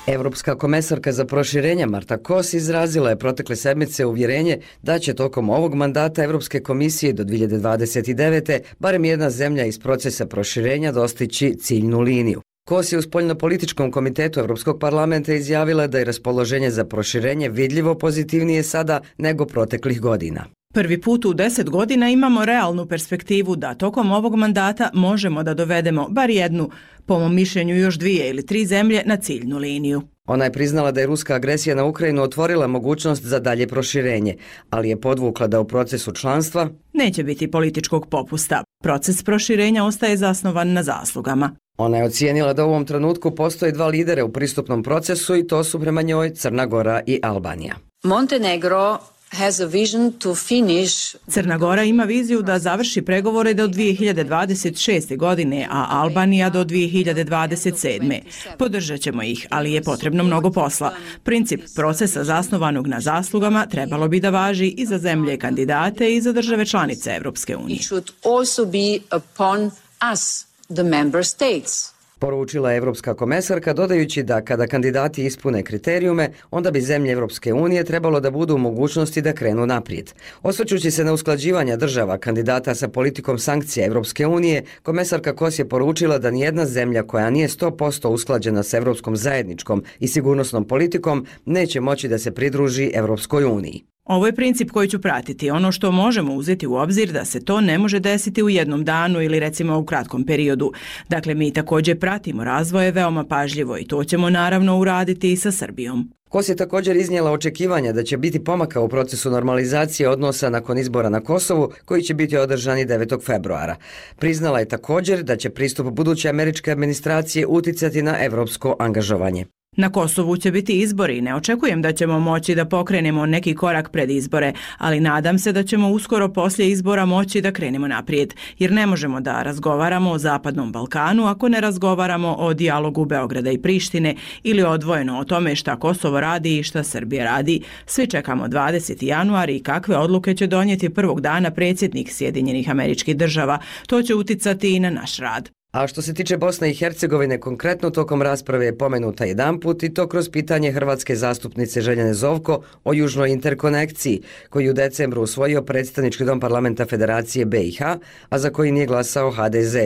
S7: Europska komesarka za proširenje Marta Kos izrazila je protekle sedmice uvjerenje da će tokom ovog mandata Europske komisije do 2029. barem jedna zemlja iz procesa proširenja dostići ciljnu liniju. Kos je u spoljnopolitičkom komitetu Europskog parlamenta izjavila da je raspoloženje za proširenje vidljivo pozitivnije sada nego proteklih godina.
S6: Prvi put u 10 godina imamo realnu perspektivu da tokom ovog mandata možemo da dovedemo bar jednu, po mom mišljenju još 2 ili 3 zemlje, na ciljnu liniju.
S7: Ona je priznala da je ruska agresija na Ukrajinu otvorila mogućnost za dalje proširenje, ali je podvukla da u procesu članstva
S6: neće biti političkog popusta. Proces proširenja ostaje zasnovan na zaslugama.
S7: Ona je ocijenila da u ovom trenutku postoje 2 lidera u pristupnom procesu i to su prema njoj Crna Gora i Albanija.
S24: Montenegro has a vision to finish.
S6: Crna Gora ima viziju da završi pregovore do 2026. godine, a Albanija do 2027. Podržat ćemo ih, ali je potrebno mnogo posla. Princip procesa zasnovanog na zaslugama trebalo bi da važi i za zemlje kandidate i za države članice Evropske unije.
S24: It should also be upon us, the member states.
S7: Poručila je Evropska komesarka, dodajući da kada kandidati ispune kriterijume, onda bi zemlje Evropske unije trebalo da budu u mogućnosti da krenu naprijed. Osvrćući se na usklađivanja država kandidata sa politikom sankcija Evropske unije, komesarka Kos je poručila da nijedna zemlja koja nije 100% usklađena s evropskom zajedničkom i sigurnosnom politikom neće moći da se pridruži Evropskoj uniji.
S6: Ovo je princip koji ću pratiti. Ono što možemo uzeti u obzir da se to ne može desiti u jednom danu ili recimo u kratkom periodu. Dakle, mi također pratimo razvoje veoma pažljivo i to ćemo naravno uraditi i sa Srbijom.
S7: Kos je također iznijela očekivanja da će biti pomaka u procesu normalizacije odnosa nakon izbora na Kosovu, koji će biti održani 9. februara. Priznala je također da će pristup buduće američke administracije uticati na evropsko angažovanje.
S6: Na Kosovu će biti izbori i ne očekujem da ćemo moći da pokrenemo neki korak pred izbore, ali nadam se da ćemo uskoro poslije izbora moći da krenemo naprijed, jer ne možemo da razgovaramo o Zapadnom Balkanu ako ne razgovaramo o dijalogu Beograda i Prištine ili odvojeno o tome šta Kosovo radi i šta Srbija radi. Svi čekamo 20. januar i kakve odluke će donijeti prvog dana predsjednik Sjedinjenih Američkih Država. To će uticati i na naš rad.
S7: A što se tiče Bosne i Hercegovine, konkretno tokom rasprave je pomenuta jedanput i to kroz pitanje hrvatske zastupnice Željane Zovko o južnoj interkonekciji, koji u decembru usvojio predstavnički dom parlamenta Federacije BiH, a za koji nije glasao HDZ.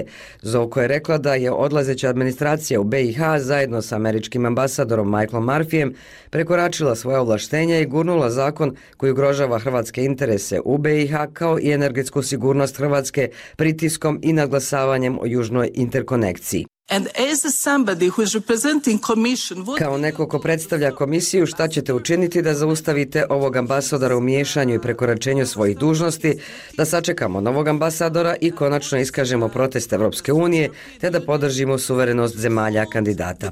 S7: Zovko je rekla da je odlazeća administracija u BiH zajedno sa američkim ambasadorom Michaelom Murphyjem prekoračila svoje ovlaštenja i gurnula zakon koji ugrožava hrvatske interese u BiH kao i energetsku sigurnost Hrvatske pritiskom i nadglasavanjem o južnoj interkonekciji. Kao neko ko predstavlja komisiju, šta ćete učiniti da zaustavite ovog ambasadora u miješanju i prekoračenju svojih dužnosti, da sačekamo novog ambasadora i konačno iskažemo protest Evropske unije, te da podržimo suverenost zemalja kandidata.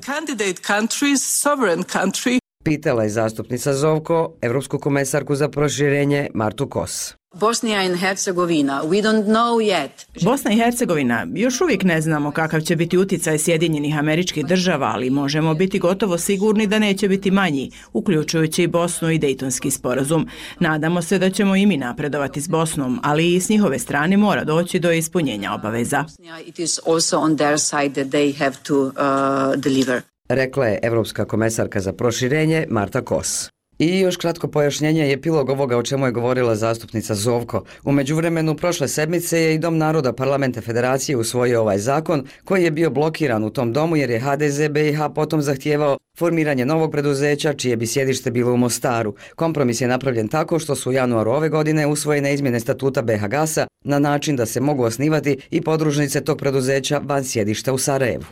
S7: Pitala je zastupnica Zovko, evropsku komesarku za proširenje Martu Kos.
S24: Bosnia and Herzegovina, we don't know yet.
S6: Bosna i Hercegovina, još uvijek ne znamo kakav će biti uticaj Sjedinjenih Američkih Država, ali možemo biti gotovo sigurni da neće biti manji, uključujući i Bosnu i Dejtonski sporazum. Nadamo se da ćemo i mi napredovati s Bosnom, ali i s njihove strane mora doći do ispunjenja obaveza.
S24: It is also on their side that they have to deliver.
S7: Rekla je evropska komesarka za proširenje Marta Kos. I još kratko pojašnjenje je epilog ovoga o čemu je govorila zastupnica Zovko. U međuvremenu prošle sedmice je i Dom naroda Parlamenta Federacije usvojio ovaj zakon koji je bio blokiran u tom domu jer je HDZ BiH potom zahtijevao formiranje novog preduzeća čije bi sjedište bilo u Mostaru. Kompromis je napravljen tako što su u januaru ove godine usvojene izmjene statuta BiH Gasa na način da se mogu osnivati i podružnice tog preduzeća van sjedišta u Sarajevu.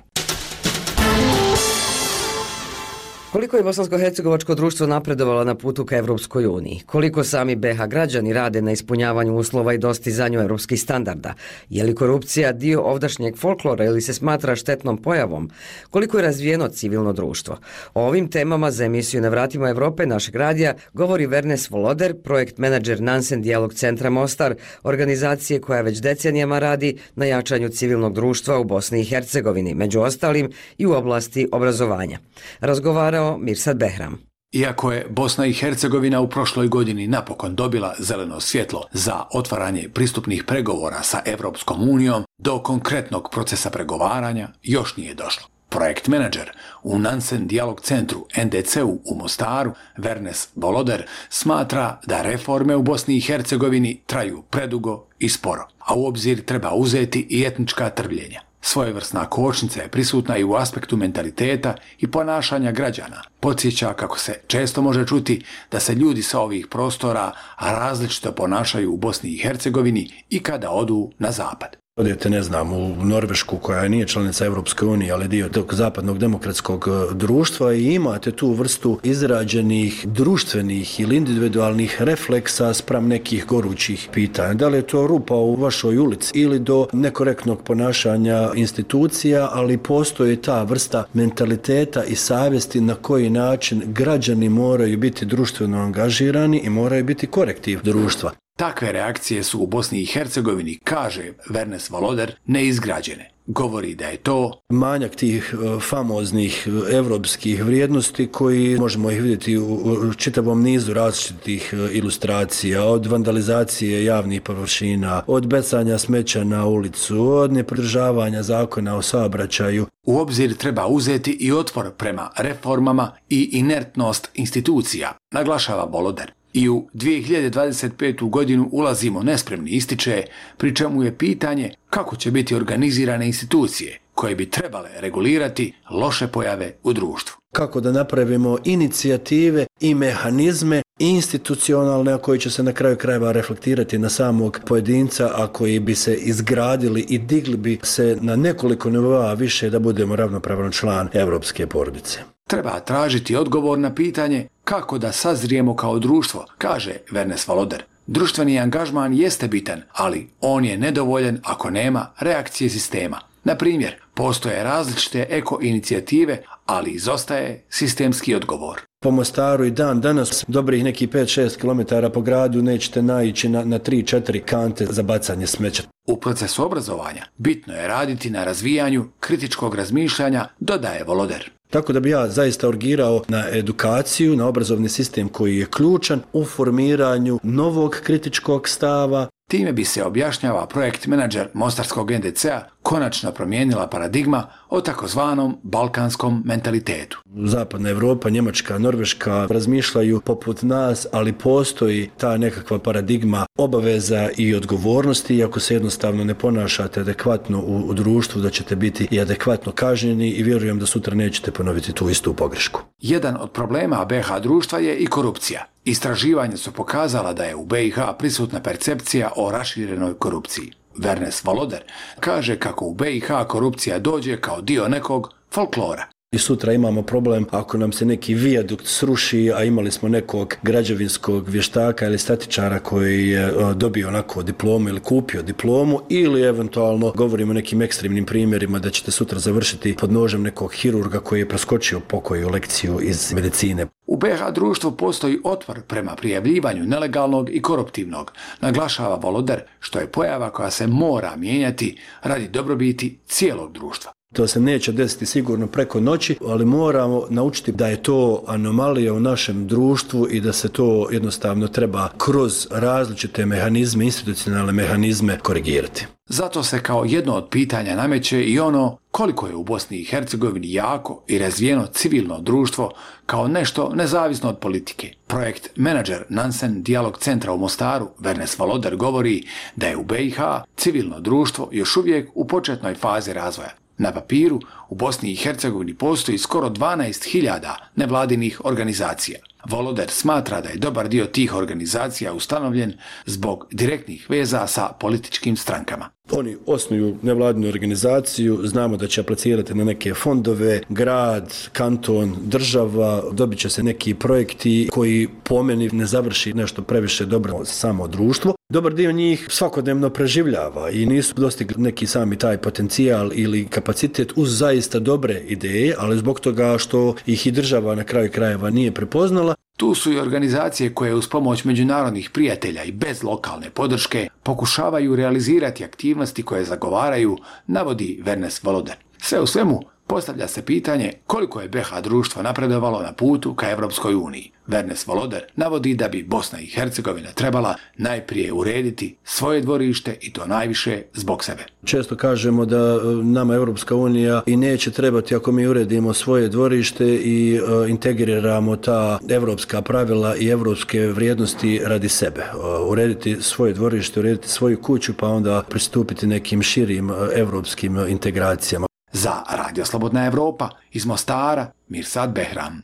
S7: Koliko je bosansko-hercegovačko društvo napredovalo na putu ka Evropskoj uniji? Koliko sami BiH građani rade na ispunjavanju uslova i dostizanju evropskih standarda? Je li korupcija dio ovdašnjeg folklora ili se smatra štetnom pojavom? Koliko je razvijeno civilno društvo? O ovim temama za emisiju Na vratima Evrope našeg radija govori Vernes Voloder, projekt menadžer Nansen Dijalog centra Mostar, organizacije koja već decenijama radi na jačanju civilnog društva u Bosni i Hercegovini, među ostalim i u oblasti obrazovanja. Razgovarao Mirsad Behram.
S8: Iako je Bosna i Hercegovina u prošloj godini napokon dobila zeleno svjetlo za otvaranje pristupnih pregovora sa Evropskom unijom, do konkretnog procesa pregovaranja još nije došlo. Projekt menadžer u Nansen Dijalog centru NDC-u u Mostaru, Vernes Voloder, smatra da reforme u Bosni i Hercegovini traju predugo i sporo, a u obzir treba uzeti i etnička trvljenja. Svojevrsna kočnica je prisutna i u aspektu mentaliteta i ponašanja građana. Podsjeća kako se često može čuti da se ljudi sa ovih prostora različito ponašaju u Bosni i Hercegovini i kada odu na zapad.
S10: Odete, ne znam, u Norvešku koja nije članica Evropske unije, ali dio tog zapadnog demokratskog društva i imate tu vrstu izrađenih društvenih ili individualnih refleksa spram nekih gorućih pitanja. Da li je to rupa u vašoj ulici ili do nekorektnog ponašanja institucija, ali postoji ta vrsta mentaliteta i savjesti na koji način građani moraju biti društveno angažirani i moraju biti korektiv društva.
S8: Takve reakcije su u Bosni i Hercegovini, kaže Vernes Voloder, neizgrađene. Govori da je to
S10: manjak tih famoznih evropskih vrijednosti koji možemo ih vidjeti u čitavom nizu različitih ilustracija, od vandalizacije javnih površina, od bacanja smeća na ulicu, od nepridržavanja zakona o saobraćaju.
S8: U obzir treba uzeti i otpor prema reformama i inertnost institucija, naglašava Voloder. I u 2025. godinu ulazimo nespremni, ističe, pri čemu je pitanje kako će biti organizirane institucije koje bi trebale regulirati loše pojave u društvu.
S10: Kako da napravimo inicijative i mehanizme institucionalne, a koji će se na kraju krajeva reflektirati na samog pojedinca, a koji bi se izgradili i digli bi se na nekoliko nivoa više da budemo ravnopravan član evropske porodice.
S8: Treba tražiti odgovor na pitanje kako da sazrijemo kao društvo, kaže Vernes Voloder. Društveni angažman jeste bitan, ali on je nedovoljan ako nema reakcije sistema. Na primjer, postoje različite eko-inicijative, ali izostaje sistemski odgovor.
S10: Po Mostaru i dan danas dobrih nekih 5-6 km po gradu nećete naići na 3-4 kante za bacanje smeća.
S8: U procesu obrazovanja bitno je raditi na razvijanju kritičkog razmišljanja, dodaje Voloder.
S10: Tako da bi ja zaista urgirao na edukaciju, na obrazovni sistem koji je ključan u formiranju novog kritičkog stava,
S8: Time bi se, objašnjava projekt menadžer mostarskog NDC-a, konačno promijenila paradigma o takozvanom balkanskom mentalitetu.
S10: Zapadna Evropa, Njemačka, Norveška razmišljaju poput nas, ali postoji ta nekakva paradigma obaveza i odgovornosti i ako se jednostavno ne ponašate adekvatno u društvu, da ćete biti i adekvatno kažnjeni i vjerujem da sutra nećete ponoviti tu istu pogrešku.
S8: Jedan od problema BiH društva je i korupcija. Istraživanja su pokazala da je u BiH prisutna percepcija o raširenoj korupciji. Vernes Voloder kaže kako u BiH korupcija dođe kao dio nekog folklora.
S10: I sutra imamo problem ako nam se neki vijadukt sruši, a imali smo nekog građevinskog vještaka ili statičara koji je dobio onako diplomu ili kupio diplomu, ili eventualno govorimo o nekim ekstremnim primjerima da ćete sutra završiti pod nožem nekog hirurga koji je preskočio pokoju lekciju iz medicine.
S8: U BiH društvu postoji otpor prema prijavljivanju nelegalnog i koruptivnog, naglašava Voloder, što je pojava koja se mora mijenjati radi dobrobiti cijelog društva.
S10: To se neće desiti sigurno preko noći, ali moramo naučiti da je to anomalija u našem društvu i da se to jednostavno treba kroz različite mehanizme, institucionalne mehanizme korigirati.
S8: Zato se kao jedno od pitanja nameće i ono koliko je u Bosni i Hercegovini jako i razvijeno civilno društvo kao nešto nezavisno od politike. Projekt menadžer Nansen Dijalog centra u Mostaru, Vernes Voloder, govori da je u BiH civilno društvo još uvijek u početnoj fazi razvoja. Na papiru u Bosni i Hercegovini postoji skoro 12.000 nevladinih organizacija. Voloder smatra da je dobar dio tih organizacija ustanovljen zbog direktnih veza sa političkim strankama.
S10: Oni osnuju nevladinu organizaciju, znamo da će aplicirati na neke fondove, grad, kanton, država, dobit će se neki projekti koji po meni ne završi nešto previše dobro samo društvo. Dobar dio njih svakodnevno preživljava i nisu dostigli neki sami taj potencijal ili kapacitet uz zaista dobre ideje, ali zbog toga što ih i država na kraju krajeva nije prepoznala.
S8: Tu su i organizacije koje uz pomoć međunarodnih prijatelja i bez lokalne podrške pokušavaju realizirati aktivnosti koje zagovaraju, navodi Vernes Voloder. Sve u svemu, postavlja se pitanje koliko je BiH društvo napredovalo na putu ka Evropskoj uniji. Vernes Voloder navodi da bi Bosna i Hercegovina trebala najprije urediti svoje dvorište i to najviše zbog sebe.
S10: Često kažemo da nama Evropska unija i neće trebati ako mi uredimo svoje dvorište i integriramo ta evropska pravila i evropske vrijednosti radi sebe. Urediti svoje dvorište, urediti svoju kuću pa onda pristupiti nekim širim evropskim integracijama.
S8: Za Radio Slobodna Evropa iz Mostara, Mirsad Behram.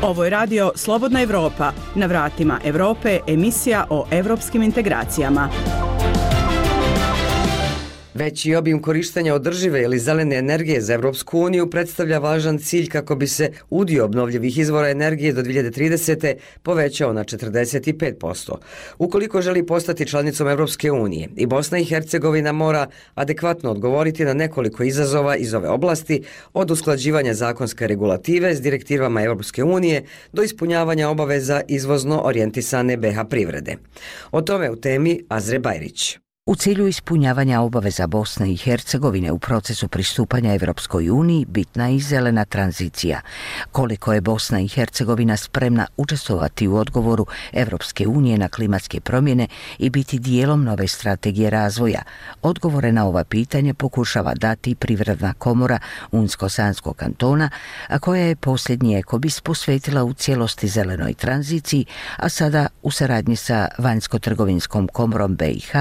S6: Ovo je radio Slobodna Evropa. Na vratima Evrope, emisija o evropskim integracijama.
S7: Veći obim korištenja održive ili zelene energije za Evropsku uniju predstavlja važan cilj kako bi se udio obnovljivih izvora energije do 2030. povećao na 45%. Ukoliko želi postati članicom Evropske unije, i Bosna i Hercegovina mora adekvatno odgovoriti na nekoliko izazova iz ove oblasti, od usklađivanja zakonske regulative s direktivama Evropske unije do ispunjavanja obaveza izvozno orijentisane BiH privrede. O tome u temi Azre Bajrić.
S2: U cilju ispunjavanja obaveza Bosne i Hercegovine u procesu pristupanja Evropskoj uniji bitna je i zelena tranzicija. Koliko je Bosna i Hercegovina spremna učestvovati u odgovoru Evropske unije na klimatske promjene i biti dijelom nove strategije razvoja? Odgovore na ova pitanja pokušava dati Privredna komora Unsko-Sanskog kantona, a koja je posljednji ekobis posvetila u cijelosti zelenoj tranziciji, a sada u saradnji sa Vanjsko-trgovinskom komorom BiH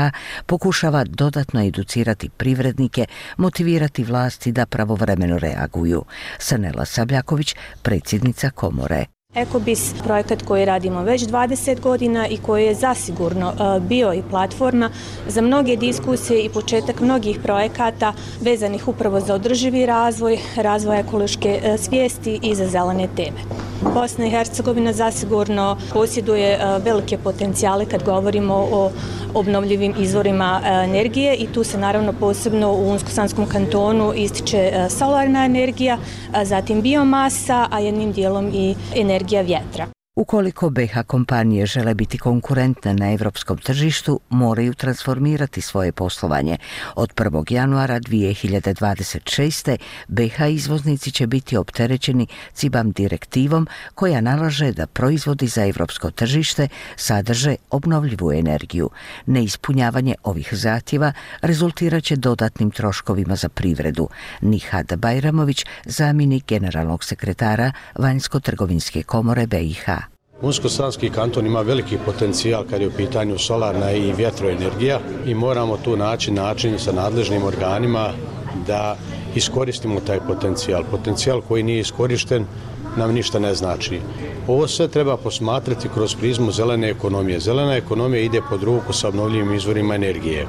S2: pokušava dodatno educirati privrednike, motivirati vlasti da pravovremeno reaguju. Sanela Sabljaković, predsjednica komore.
S9: Ekobis, projekat koji radimo već 20 godina i koji je zasigurno bio i platforma za mnoge diskusije i početak mnogih projekata vezanih upravo za održivi razvoj, razvoj ekološke svijesti i za zelene teme. Bosna i Hercegovina zasigurno posjeduje velike potencijale kad govorimo o obnovljivim izvorima energije i tu se naravno posebno u Unsko-Sanskom kantonu ističe solarna energija, zatim biomasa, a jednim dijelom i energija vjetra.
S2: Ukoliko BiH kompanije žele biti konkurentne na europskom tržištu, moraju transformirati svoje poslovanje. Od 1. januara 2026. BiH izvoznici će biti opterećeni CBAM direktivom koja nalaže da proizvodi za europsko tržište sadrže obnovljivu energiju. Neispunjavanje ovih zahtjeva rezultirat će dodatnim troškovima za privredu. Nihad Bajramović, zamjenik generalnog sekretara Vanjsko-trgovinske komore BiH.
S11: Unsko-sanski kanton ima veliki potencijal kad je u pitanju solarna i vjetroenergija i moramo tu naći način sa nadležnim organima da iskoristimo taj potencijal. Potencijal koji nije iskorišten nam ništa ne znači. Ovo sve treba posmatrati kroz prizmu zelene ekonomije. Zelena ekonomija ide pod ruku sa obnovljivim izvorima energije.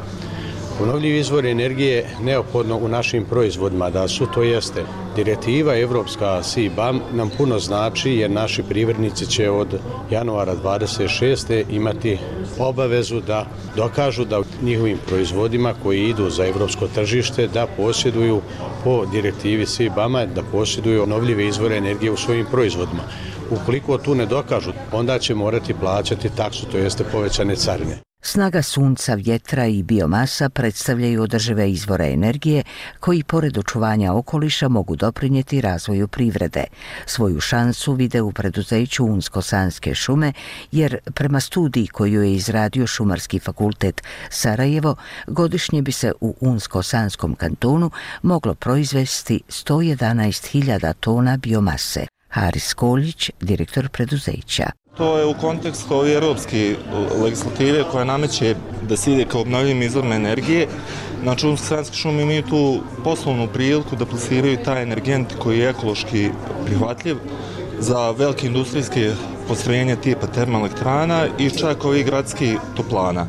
S11: Obnovljivi izvori energije neophodno u našim proizvodima da su, to jeste direktiva evropska CBAM nam puno znači jer naši privrednici će od januara 26. imati obavezu da dokažu da njihovim proizvodima koji idu za evropsko tržište da posjeduju po direktivi CBAM-a da posjeduju obnovljive izvore energije u svojim proizvodima. Ukoliko tu ne dokažu, onda će morati plaćati taksu, to jeste povećane carine.
S2: Snaga sunca, vjetra i biomasa predstavljaju održive izvore energije koji pored očuvanja okoliša mogu doprinijeti razvoju privrede. Svoju šansu vide u preduzeću Unsko-sanske šume jer prema studiji koju je izradio Šumarski fakultet Sarajevo, godišnje bi se u Unsko-sanskom kantonu moglo proizvesti 111.000 tona biomase. Haris Koljić, direktor preduzeća.
S12: To je u kontekstu ove europske legislative koja nameće da se ide kao obnovljivim izvorima energije. Znači, Unsko-sanske šume imaju tu poslovnu priliku da plasiraju taj energent koji je ekološki prihvatljiv za velike industrijske postrojenja tipa termoelektrana i čak ovih gradskih toplana.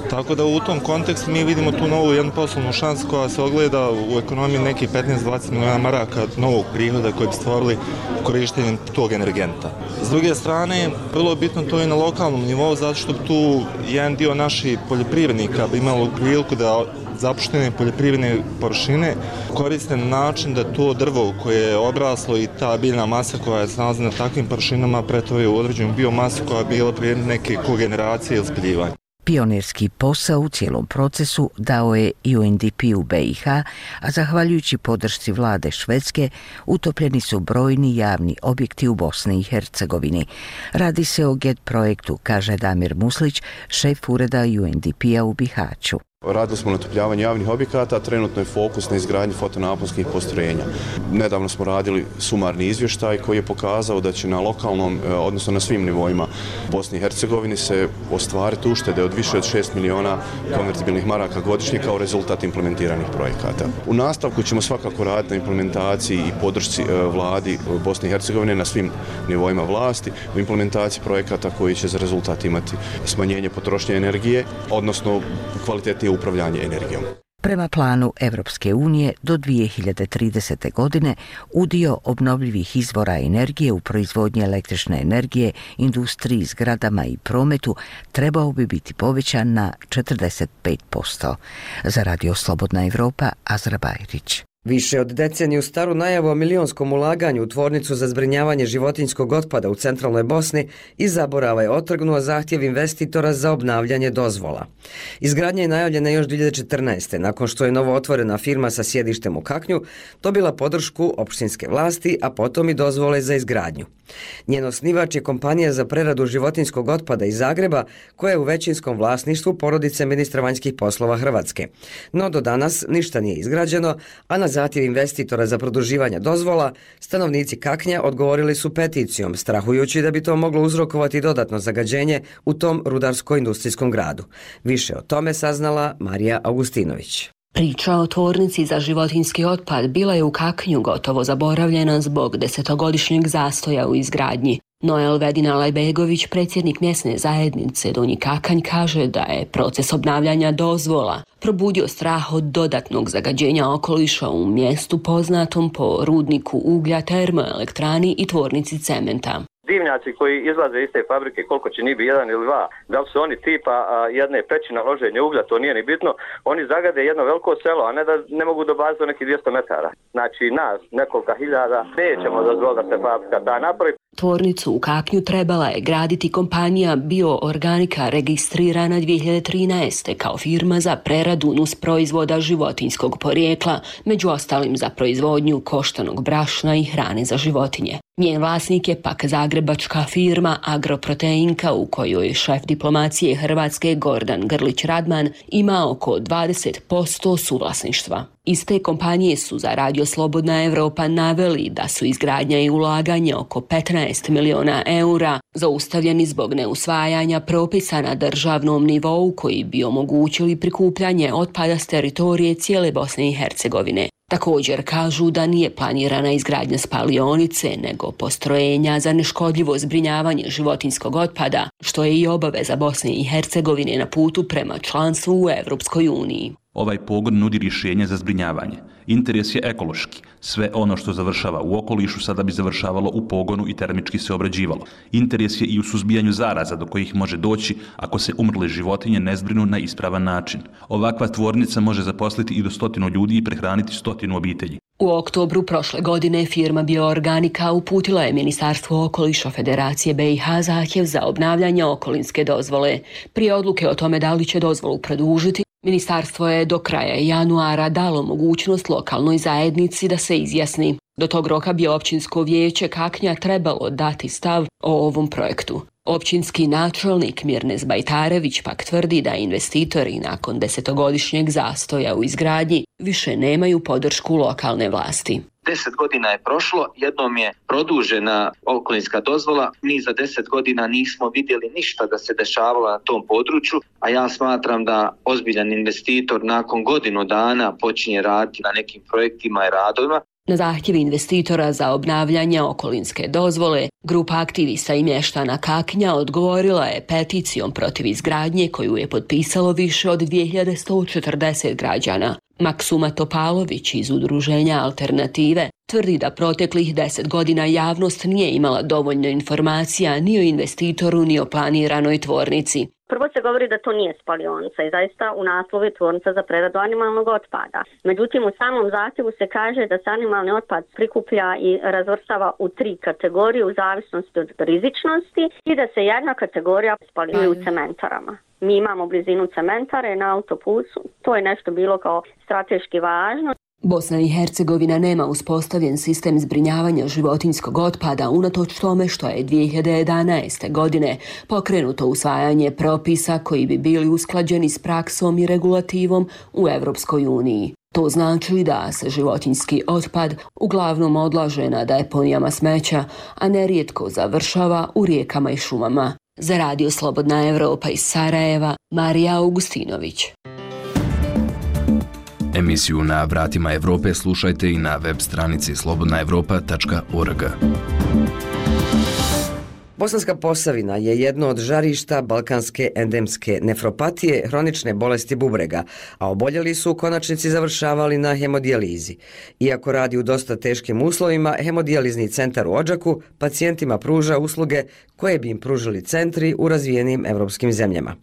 S12: Tako da u tom kontekstu mi vidimo tu novu jednu poslovnu šansu koja se ogleda u ekonomiji nekih 15-20 milijuna maraka novog prihoda koji bi stvorili korištenjem tog energenta. S druge strane, vrlo je bitno to i na lokalnom nivou, zato što tu jedan dio naših poljoprivrednika bi imalo priliku da zapuštene poljoprivredne površine koriste na način da to drvo koje je obraslo i ta biljna masa koja se nalazi na takvim površinama pretvori u određenu biomasu koja je bila prije neke kogeneracije ili spaljivanja.
S2: Pionirski posao u cijelom procesu dao je UNDP u BiH, a zahvaljujući podršci vlade Švedske utopljeni su brojni javni objekti u Bosni i Hercegovini. Radi se o GET projektu, kaže Damir Muslić, šef ureda UNDP-a u Bihaću.
S13: Radili smo na utopljavanju javnih objekata, trenutno je fokus na izgradnji fotonaponskih postrojenja. Nedavno smo radili sumarni izvještaj koji je pokazao da će na lokalnom, odnosno na svim nivoima Bosni i Hercegovini se ostvariti uštede od više od 6 miliona konvertibilnih maraka godišnje kao rezultat implementiranih projekata. U nastavku ćemo svakako raditi na implementaciji i podršci vladi Bosne i Hercegovine na svim nivoima vlasti u implementaciji projekata koji će za rezultat imati smanjenje potrošnje energije, odnosno kvalitetnije upravljanje energijom.
S2: Prema planu Evropske unije do 2030. godine udio obnovljivih izvora energije u proizvodnji električne energije, industriji, zgradama i prometu trebao bi biti povećan na 45%. Za Radio Slobodna Evropa, Azra Bajrić.
S7: Više od deceniju staru najavu o milionskom ulaganju u tvornicu za zbrinjavanje životinjskog otpada u centralnoj Bosni i zaborava je otrgnuo zahtjev investitora za obnavljanje dozvola. Izgradnja je najavljena još 2014. nakon što je novo otvorena firma sa sjedištem u Kaknju dobila podršku opštinske vlasti, a potom i dozvole za izgradnju. Njen osnivač je kompanija za preradu životinjskog otpada iz Zagreba, koja je u većinskom vlasništvu porodice ministra vanjskih poslova Hrvatske. No do danas ništa nije izgrađeno, a na zahtjev investitora za produživanje dozvola, stanovnici Kaknja odgovorili su peticijom, strahujući da bi to moglo uzrokovati dodatno zagađenje u tom rudarsko-industrijskom gradu. Više o tome saznala Marija Augustinović.
S15: Priča o tvornici za životinjski otpad bila je u Kaknju gotovo zaboravljena zbog 10-godišnjeg zastoja u izgradnji. No Elvedin Alajbegović, predsjednik mjesne zajednice Donji Kakanj, kaže da je proces obnavljanja dozvola probudio strah od dodatnog zagađenja okoliša u mjestu poznatom po rudniku uglja, termoelektrani i tvornici cementa.
S25: Dimnjaci koji izlaze iz te fabrike, koliko će njih biti, 1 ili 2, da li su oni tipa jedne peći na loženje uglja, to nije ni bitno, oni zagade jedno veliko selo, a ne da ne mogu dobaziti do nekih 200 metara. Znači nas, nekoliko hiljada, nećemo dozvoliti da se fabrika ta napravi.
S15: Tvornicu u Kaknju trebala je graditi kompanija Bioorganika registrirana 2013. kao firma za preradu nusproizvoda životinjskog porijekla, među ostalim za proizvodnju koštanog brašna i hrane za životinje. Njen vlasnik je pak zagrebačka firma Agroproteinka u kojoj šef diplomacije Hrvatske Gordan Grlić-Radman ima oko 20% suvlasništva. Iz te kompanije su za Radio Slobodna Evropa naveli da su izgradnja i ulaganje oko 15 miliona eura zaustavljeni zbog neusvajanja propisa na državnom nivou koji bi omogućili prikupljanje otpada s teritorije cijele Bosne i Hercegovine. Također kažu da nije planirana izgradnja spalionice, nego postrojenja za neškodljivo zbrinjavanje životinjskog otpada, što je i obaveza Bosne i Hercegovine na putu prema članstvu u Europskoj uniji.
S14: Ovaj pogon nudi rješenje za zbrinjavanje. Interes je ekološki. Sve ono što završava u okolišu sada bi završavalo u pogonu i termički se obrađivalo. Interes je i u suzbijanju zaraza do kojih može doći ako se umrle životinje ne zbrinu na ispravan način. Ovakva tvornica može zaposliti i do 100 ljudi i prehraniti 100 obitelji.
S15: U oktobru prošle godine firma Bioorganika uputila je Ministarstvu okoliša Federacije BiH zahtjev za obnavljanje okolinske dozvole. Prije odluke o tome da li će dozvolu produžiti, Ministarstvo je do kraja januara dalo mogućnost lokalnoj zajednici da se izjasni. Do tog roka bi općinsko vijeće Kaknja trebalo dati stav o ovom projektu. Općinski načelnik Mirnes Bajtarević pak tvrdi da investitori nakon 10-godišnjeg zastoja u izgradnji više nemaju podršku lokalne vlasti.
S16: 10 godina je prošlo, jednom je produžena okolinska dozvola, mi za 10 godina nismo vidjeli ništa da se dešavalo na tom području, a ja smatram da ozbiljan investitor nakon godinu dana počinje raditi na nekim projektima i radovima.
S15: Na zahtjev investitora za obnavljanje okolinske dozvole, grupa aktivista i mještana Kaknja odgovorila je peticijom protiv izgradnje koju je potpisalo više od 2140 građana. Maksuma Topalović iz udruženja Alternative tvrdi da proteklih 10 godina javnost nije imala dovoljno informacija ni o investitoru ni o planiranoj tvornici.
S17: Prvo se govori da to nije spalionica i zaista u naslovu je tvornica za preradu animalnog otpada. Međutim, u samom zahtjevu se kaže da se animalni otpad prikuplja i razvrstava u 3 kategorije u zavisnosti od rizičnosti i da se jedna kategorija spaljuje u cementarama. Mi imamo blizinu cementare na autopusu, to je nešto bilo kao strateški važno.
S15: Bosna i Hercegovina nema uspostavljen sistem zbrinjavanja životinjskog otpada unatoč tome što je 2011. godine pokrenuto usvajanje propisa koji bi bili usklađeni s praksom i regulativom u Europskoj uniji. To znači da se životinjski otpad uglavnom odlaže na deponijama smeća, a nerijetko završava u rijekama i šumama. Za Radio Slobodna Evropa iz Sarajeva, Marija Augustinović.
S19: Emisiju Na vratima Evrope slušajte i na web stranici slobodnaevropa.org.
S7: Bosanska Posavina je jedno od žarišta balkanske endemske nefropatije, hronične bolesti bubrega, a oboljeli su u konačnici završavali na hemodijalizi. Iako radi u dosta teškim uslovima, hemodijalizni centar u Odžaku pacijentima pruža usluge koje bi im pružili centri u razvijenim evropskim zemljama.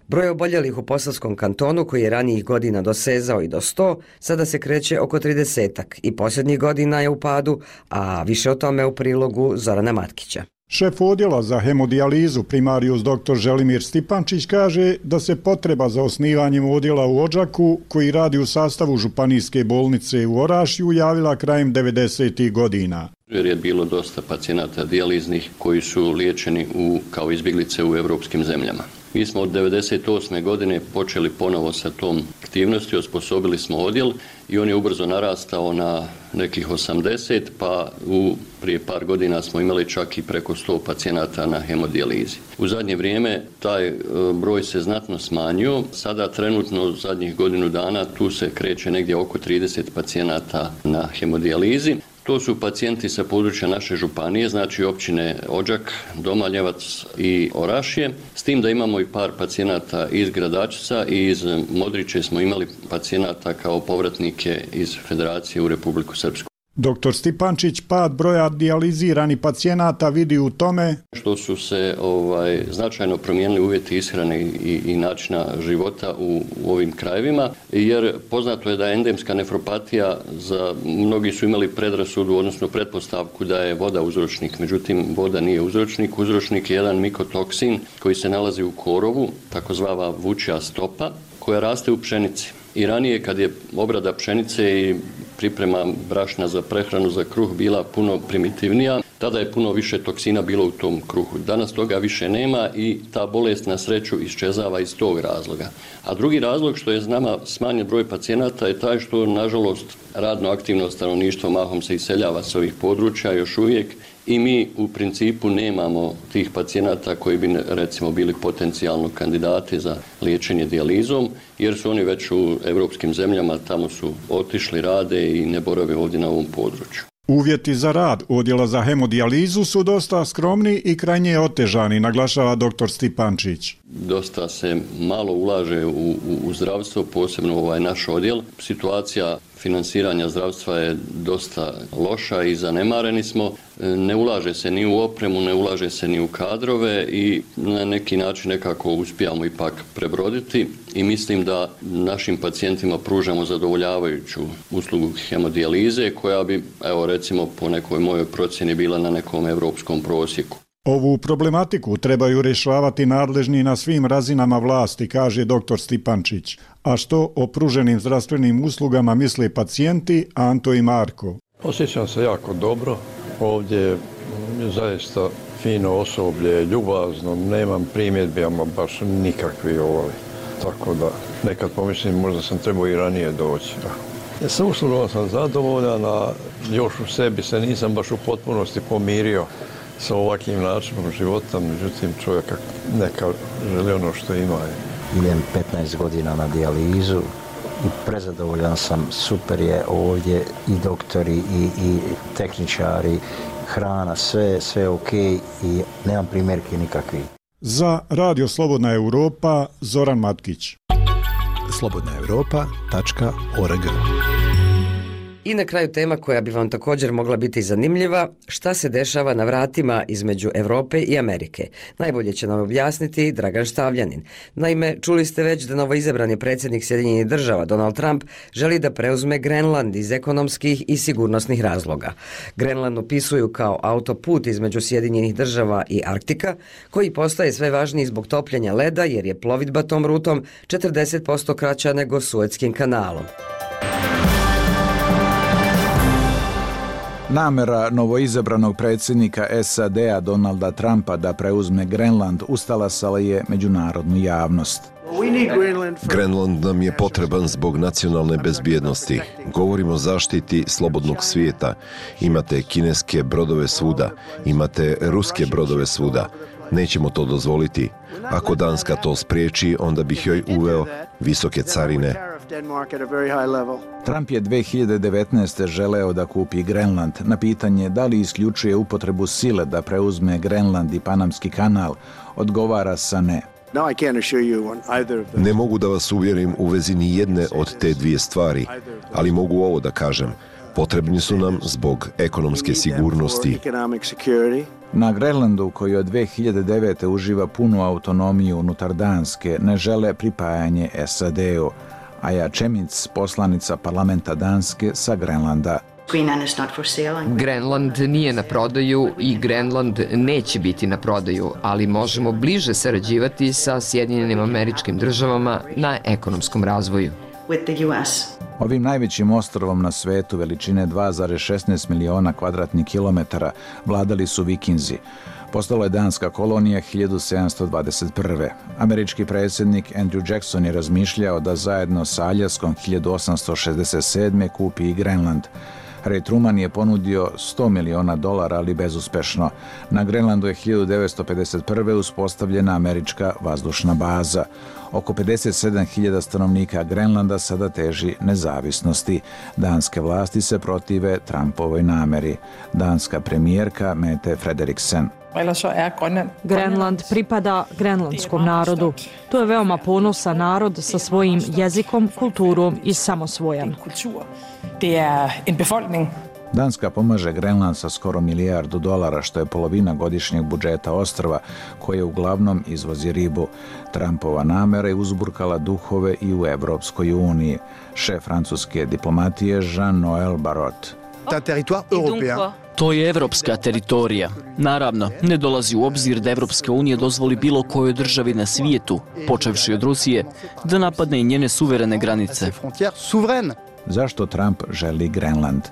S7: Broj oboljelih u Posavskom kantonu, koji je ranijih godina dosezao i do 100, sada se kreće oko 30-ak i posljednjih godina je u padu, a više o tome u prilogu Zorana Matkića.
S20: Šef odjela za hemodijalizu primarijus dr. Želimir Stipančić kaže da se potreba za osnivanjem odjela u Odžaku, koji radi u sastavu županijske bolnice u Orašju, javila krajem 90. godina.
S26: Jer je bilo dosta pacijenata dijaliznih koji su liječeni kao izbjeglice u evropskim zemljama. Mi smo od 1998. godine počeli ponovo sa tom aktivnosti, osposobili smo odjel i on je ubrzo narastao na nekih 80, pa prije par godina smo imali čak i preko 100 pacijenata na hemodijalizi. U zadnje vrijeme taj broj se znatno smanjio, sada trenutno zadnjih godinu dana tu se kreće negdje oko 30 pacijenata na hemodijalizi. To su pacijenti sa područja naše županije, znači općine Odžak, Domaljevac i Orašje, s tim da imamo i par pacijenata iz Gradačca i iz Modriče smo imali pacijenata kao povratnike iz Federacije u Republiku Srpsku.
S20: Dr. Stipančić pad broja dijaliziranih pacijenata vidi u tome
S26: što su se značajno promijenili uvjeti ishrane i načina života u ovim krajevima, jer poznato je da je endemska nefropatija, mnogi su imali predrasudu, odnosno pretpostavku da je voda uzročnik, međutim voda nije uzročnik. Uzročnik je jedan mikotoksin koji se nalazi u korovu, takozvana vučja stopa, koja raste u pšenici. I ranije kad je obrada pšenice i priprema brašna za prehranu za kruh bila puno primitivnija, tada je puno više toksina bilo u tom kruhu. Danas toga više nema i ta bolest na sreću iščezava iz tog razloga. A drugi razlog što je nama smanjen broj pacijenata je taj što, nažalost, radno aktivno stanovništvo mahom se iseljava s ovih područja još uvijek i mi u principu nemamo tih pacijenata koji bi recimo bili potencijalno kandidati za liječenje dijalizom, jer su oni već u europskim zemljama, tamo su otišli, rade i ne borave ovdje na ovom području.
S20: Uvjeti za rad odjela za hemodijalizu su dosta skromni i krajnje otežani, naglašava dr. Stipančić.
S26: Dosta se malo ulaže u zdravstvo, posebno naš odjel. Situacija finansiranja zdravstva je dosta loša i zanemareni smo. Ne ulaže se ni u opremu, ne ulaže se ni u kadrove i na neki način nekako uspijamo ipak prebroditi i mislim da našim pacijentima pružamo zadovoljavajuću uslugu hemodijalize koja bi, evo recimo po nekoj mojoj procjeni, bila na nekom europskom prosjeku.
S20: Ovu problematiku trebaju rješavati nadležni na svim razinama vlasti, kaže dr. Stipančić. A što o pruženim zdravstvenim uslugama misle pacijenti Anto i Marko?
S3: Osjećam se jako dobro. Ovdje je zaista fino osoblje, ljubazno, nemam primjedbi, ama baš nikakvi Tako da nekad pomislim možda sam trebao i ranije doći. Sa uslugom sam zadovoljan, a još u sebi se nisam baš u potpunosti pomirio sa ovakvim načinom života, međutim čovjeka neka želi ono što ima.
S5: Idem 15 godina na dijalizu i prezadovoljan sam, super je ovdje i doktori i tehničari, hrana, sve ok i nemam primjerke nikakvi.
S20: Za Radio Slobodna Europa, Zoran Matkić.
S4: slobodnaeuropa.org.
S7: I na kraju tema koja bi vam također mogla biti zanimljiva, šta se dešava na vratima između Europe i Amerike. Najbolje će nam objasniti Dragan Štavljanin. Naime, čuli ste već da novoizabrani predsjednik Sjedinjenih Država Donald Trump želi da preuzme Grenland iz ekonomskih i sigurnosnih razloga. Grenland opisuju kao autoput između Sjedinjenih Država i Arktika, koji postaje sve važniji zbog topljenja leda jer je plovidba tom rutom 40% kraća nego Suetskim kanalom.
S18: Namera novoizabranog predsjednika SAD-a Donalda Trumpa da preuzme Grenland ustalasala je međunarodnu javnost.
S21: Grenland nam je potreban zbog nacionalne bezbjednosti. Govorimo o zaštiti slobodnog svijeta. Imate kineske brodove svuda, imate ruske brodove svuda. Nećemo to dozvoliti. Ako Danska to spriječi, onda bih joj uveo visoke carine.
S18: Trump je 2019. želeo da kupi Grenland. Na pitanje da li isključuje upotrebu sile da preuzme Grenland i Panamski kanal, odgovara sa ne.
S21: Ne mogu da vas uvjerim u vezi ni jedne od te dvije stvari, ali mogu ovo da kažem. Potrebni su nam zbog ekonomske sigurnosti.
S18: Na Grenlandu, koji od 2009. uživa punu autonomiju unutar Danske, ne žele pripajanje SAD-u. Aja Čemic, poslanica parlamenta Danske sa Grenlanda.
S22: Grenland nije na prodaju i Grenland neće biti na prodaju, ali možemo bliže sarađivati sa Sjedinjenim Američkim Državama na ekonomskom razvoju.
S18: Ovim najvećim ostrvom na svetu veličine 2,16 miliona kvadratnih kilometara vladali su Vikinzi. Postala je danska kolonija 1721. Američki predsjednik Andrew Jackson je razmišljao da zajedno sa Aljaskom 1867. kupi i Grenland. Harry Truman je ponudio $100 miliona, ali bezuspešno. Na Grenlandu je 1951. uspostavljena američka vazdušna baza. Oko 57.000 stanovnika Grenlanda sada teži nezavisnosti. Danske vlasti se protive Trumpovoj nameri. Danska premijerka Mette Frederiksen.
S23: Grenland pripada grenlandskom narodu. To je veoma ponosan narod sa svojim jezikom, kulturom i samosvojem.
S18: Danska pomaže Grenland sa skoro $1 milijardu, što je polovina godišnjeg budžeta ostrva, koje uglavnom izvozi ribu. Trumpova namera je uzburkala duhove i u Evropskoj uniji. Šef francuske diplomatije Jean-Noël Barrot.
S1: To je evropska teritorija. Naravno, ne dolazi u obzir da Evropska unija dozvoli bilo kojoj državi na svijetu, počevši od Rusije, da napadne i njene suverene granice.
S18: Zašto Trump želi Grenland?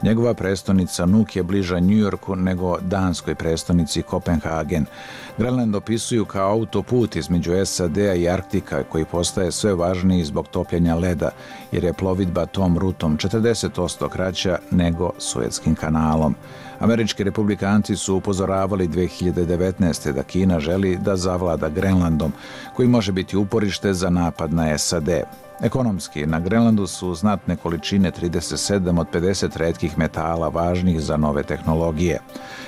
S18: Njegova prestonica Nuuk je bliža New Yorku nego danskoj prestonici Kopenhagen. Grenland opisuju kao autoput između SAD-a i Arktika koji postaje sve važniji zbog topljenja leda, jer je plovidba tom rutom 40% kraća nego Suetskim kanalom. Američki republikanci su upozoravali 2019. da Kina želi da zavlada Grenlandom, koji može biti uporište za napad na SAD. Ekonomski, na Grenlandu su znatne količine 37 od 50 retkih metala važnih za nove tehnologije.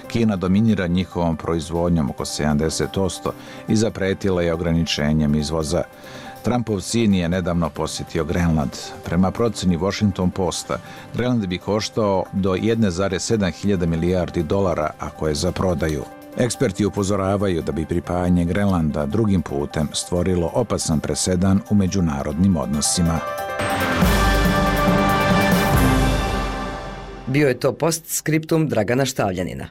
S18: Kina dominira njihovom proizvodnjom oko 70% i zapretila je ograničenjem izvoza. Trumpov sin je nedavno posjetio Grenland. Prema proceni Washington Posta, Grenland bi koštao do 1,7 hiljada milijardi dolara ako je za prodaju. Eksperti upozoravaju da bi pripajanje Grenlanda drugim putem stvorilo opasan presedan u međunarodnim odnosima.
S7: Bio je to postskriptum Dragana Štavljanina.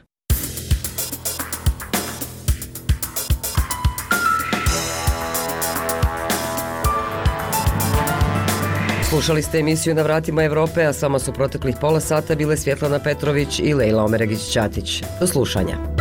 S7: Slušali ste emisiju Na vratima Evrope, a s vama su proteklih pola sata bile Svjetlana Petrović i Lejla Omeregić-Ćatić. Do slušanja.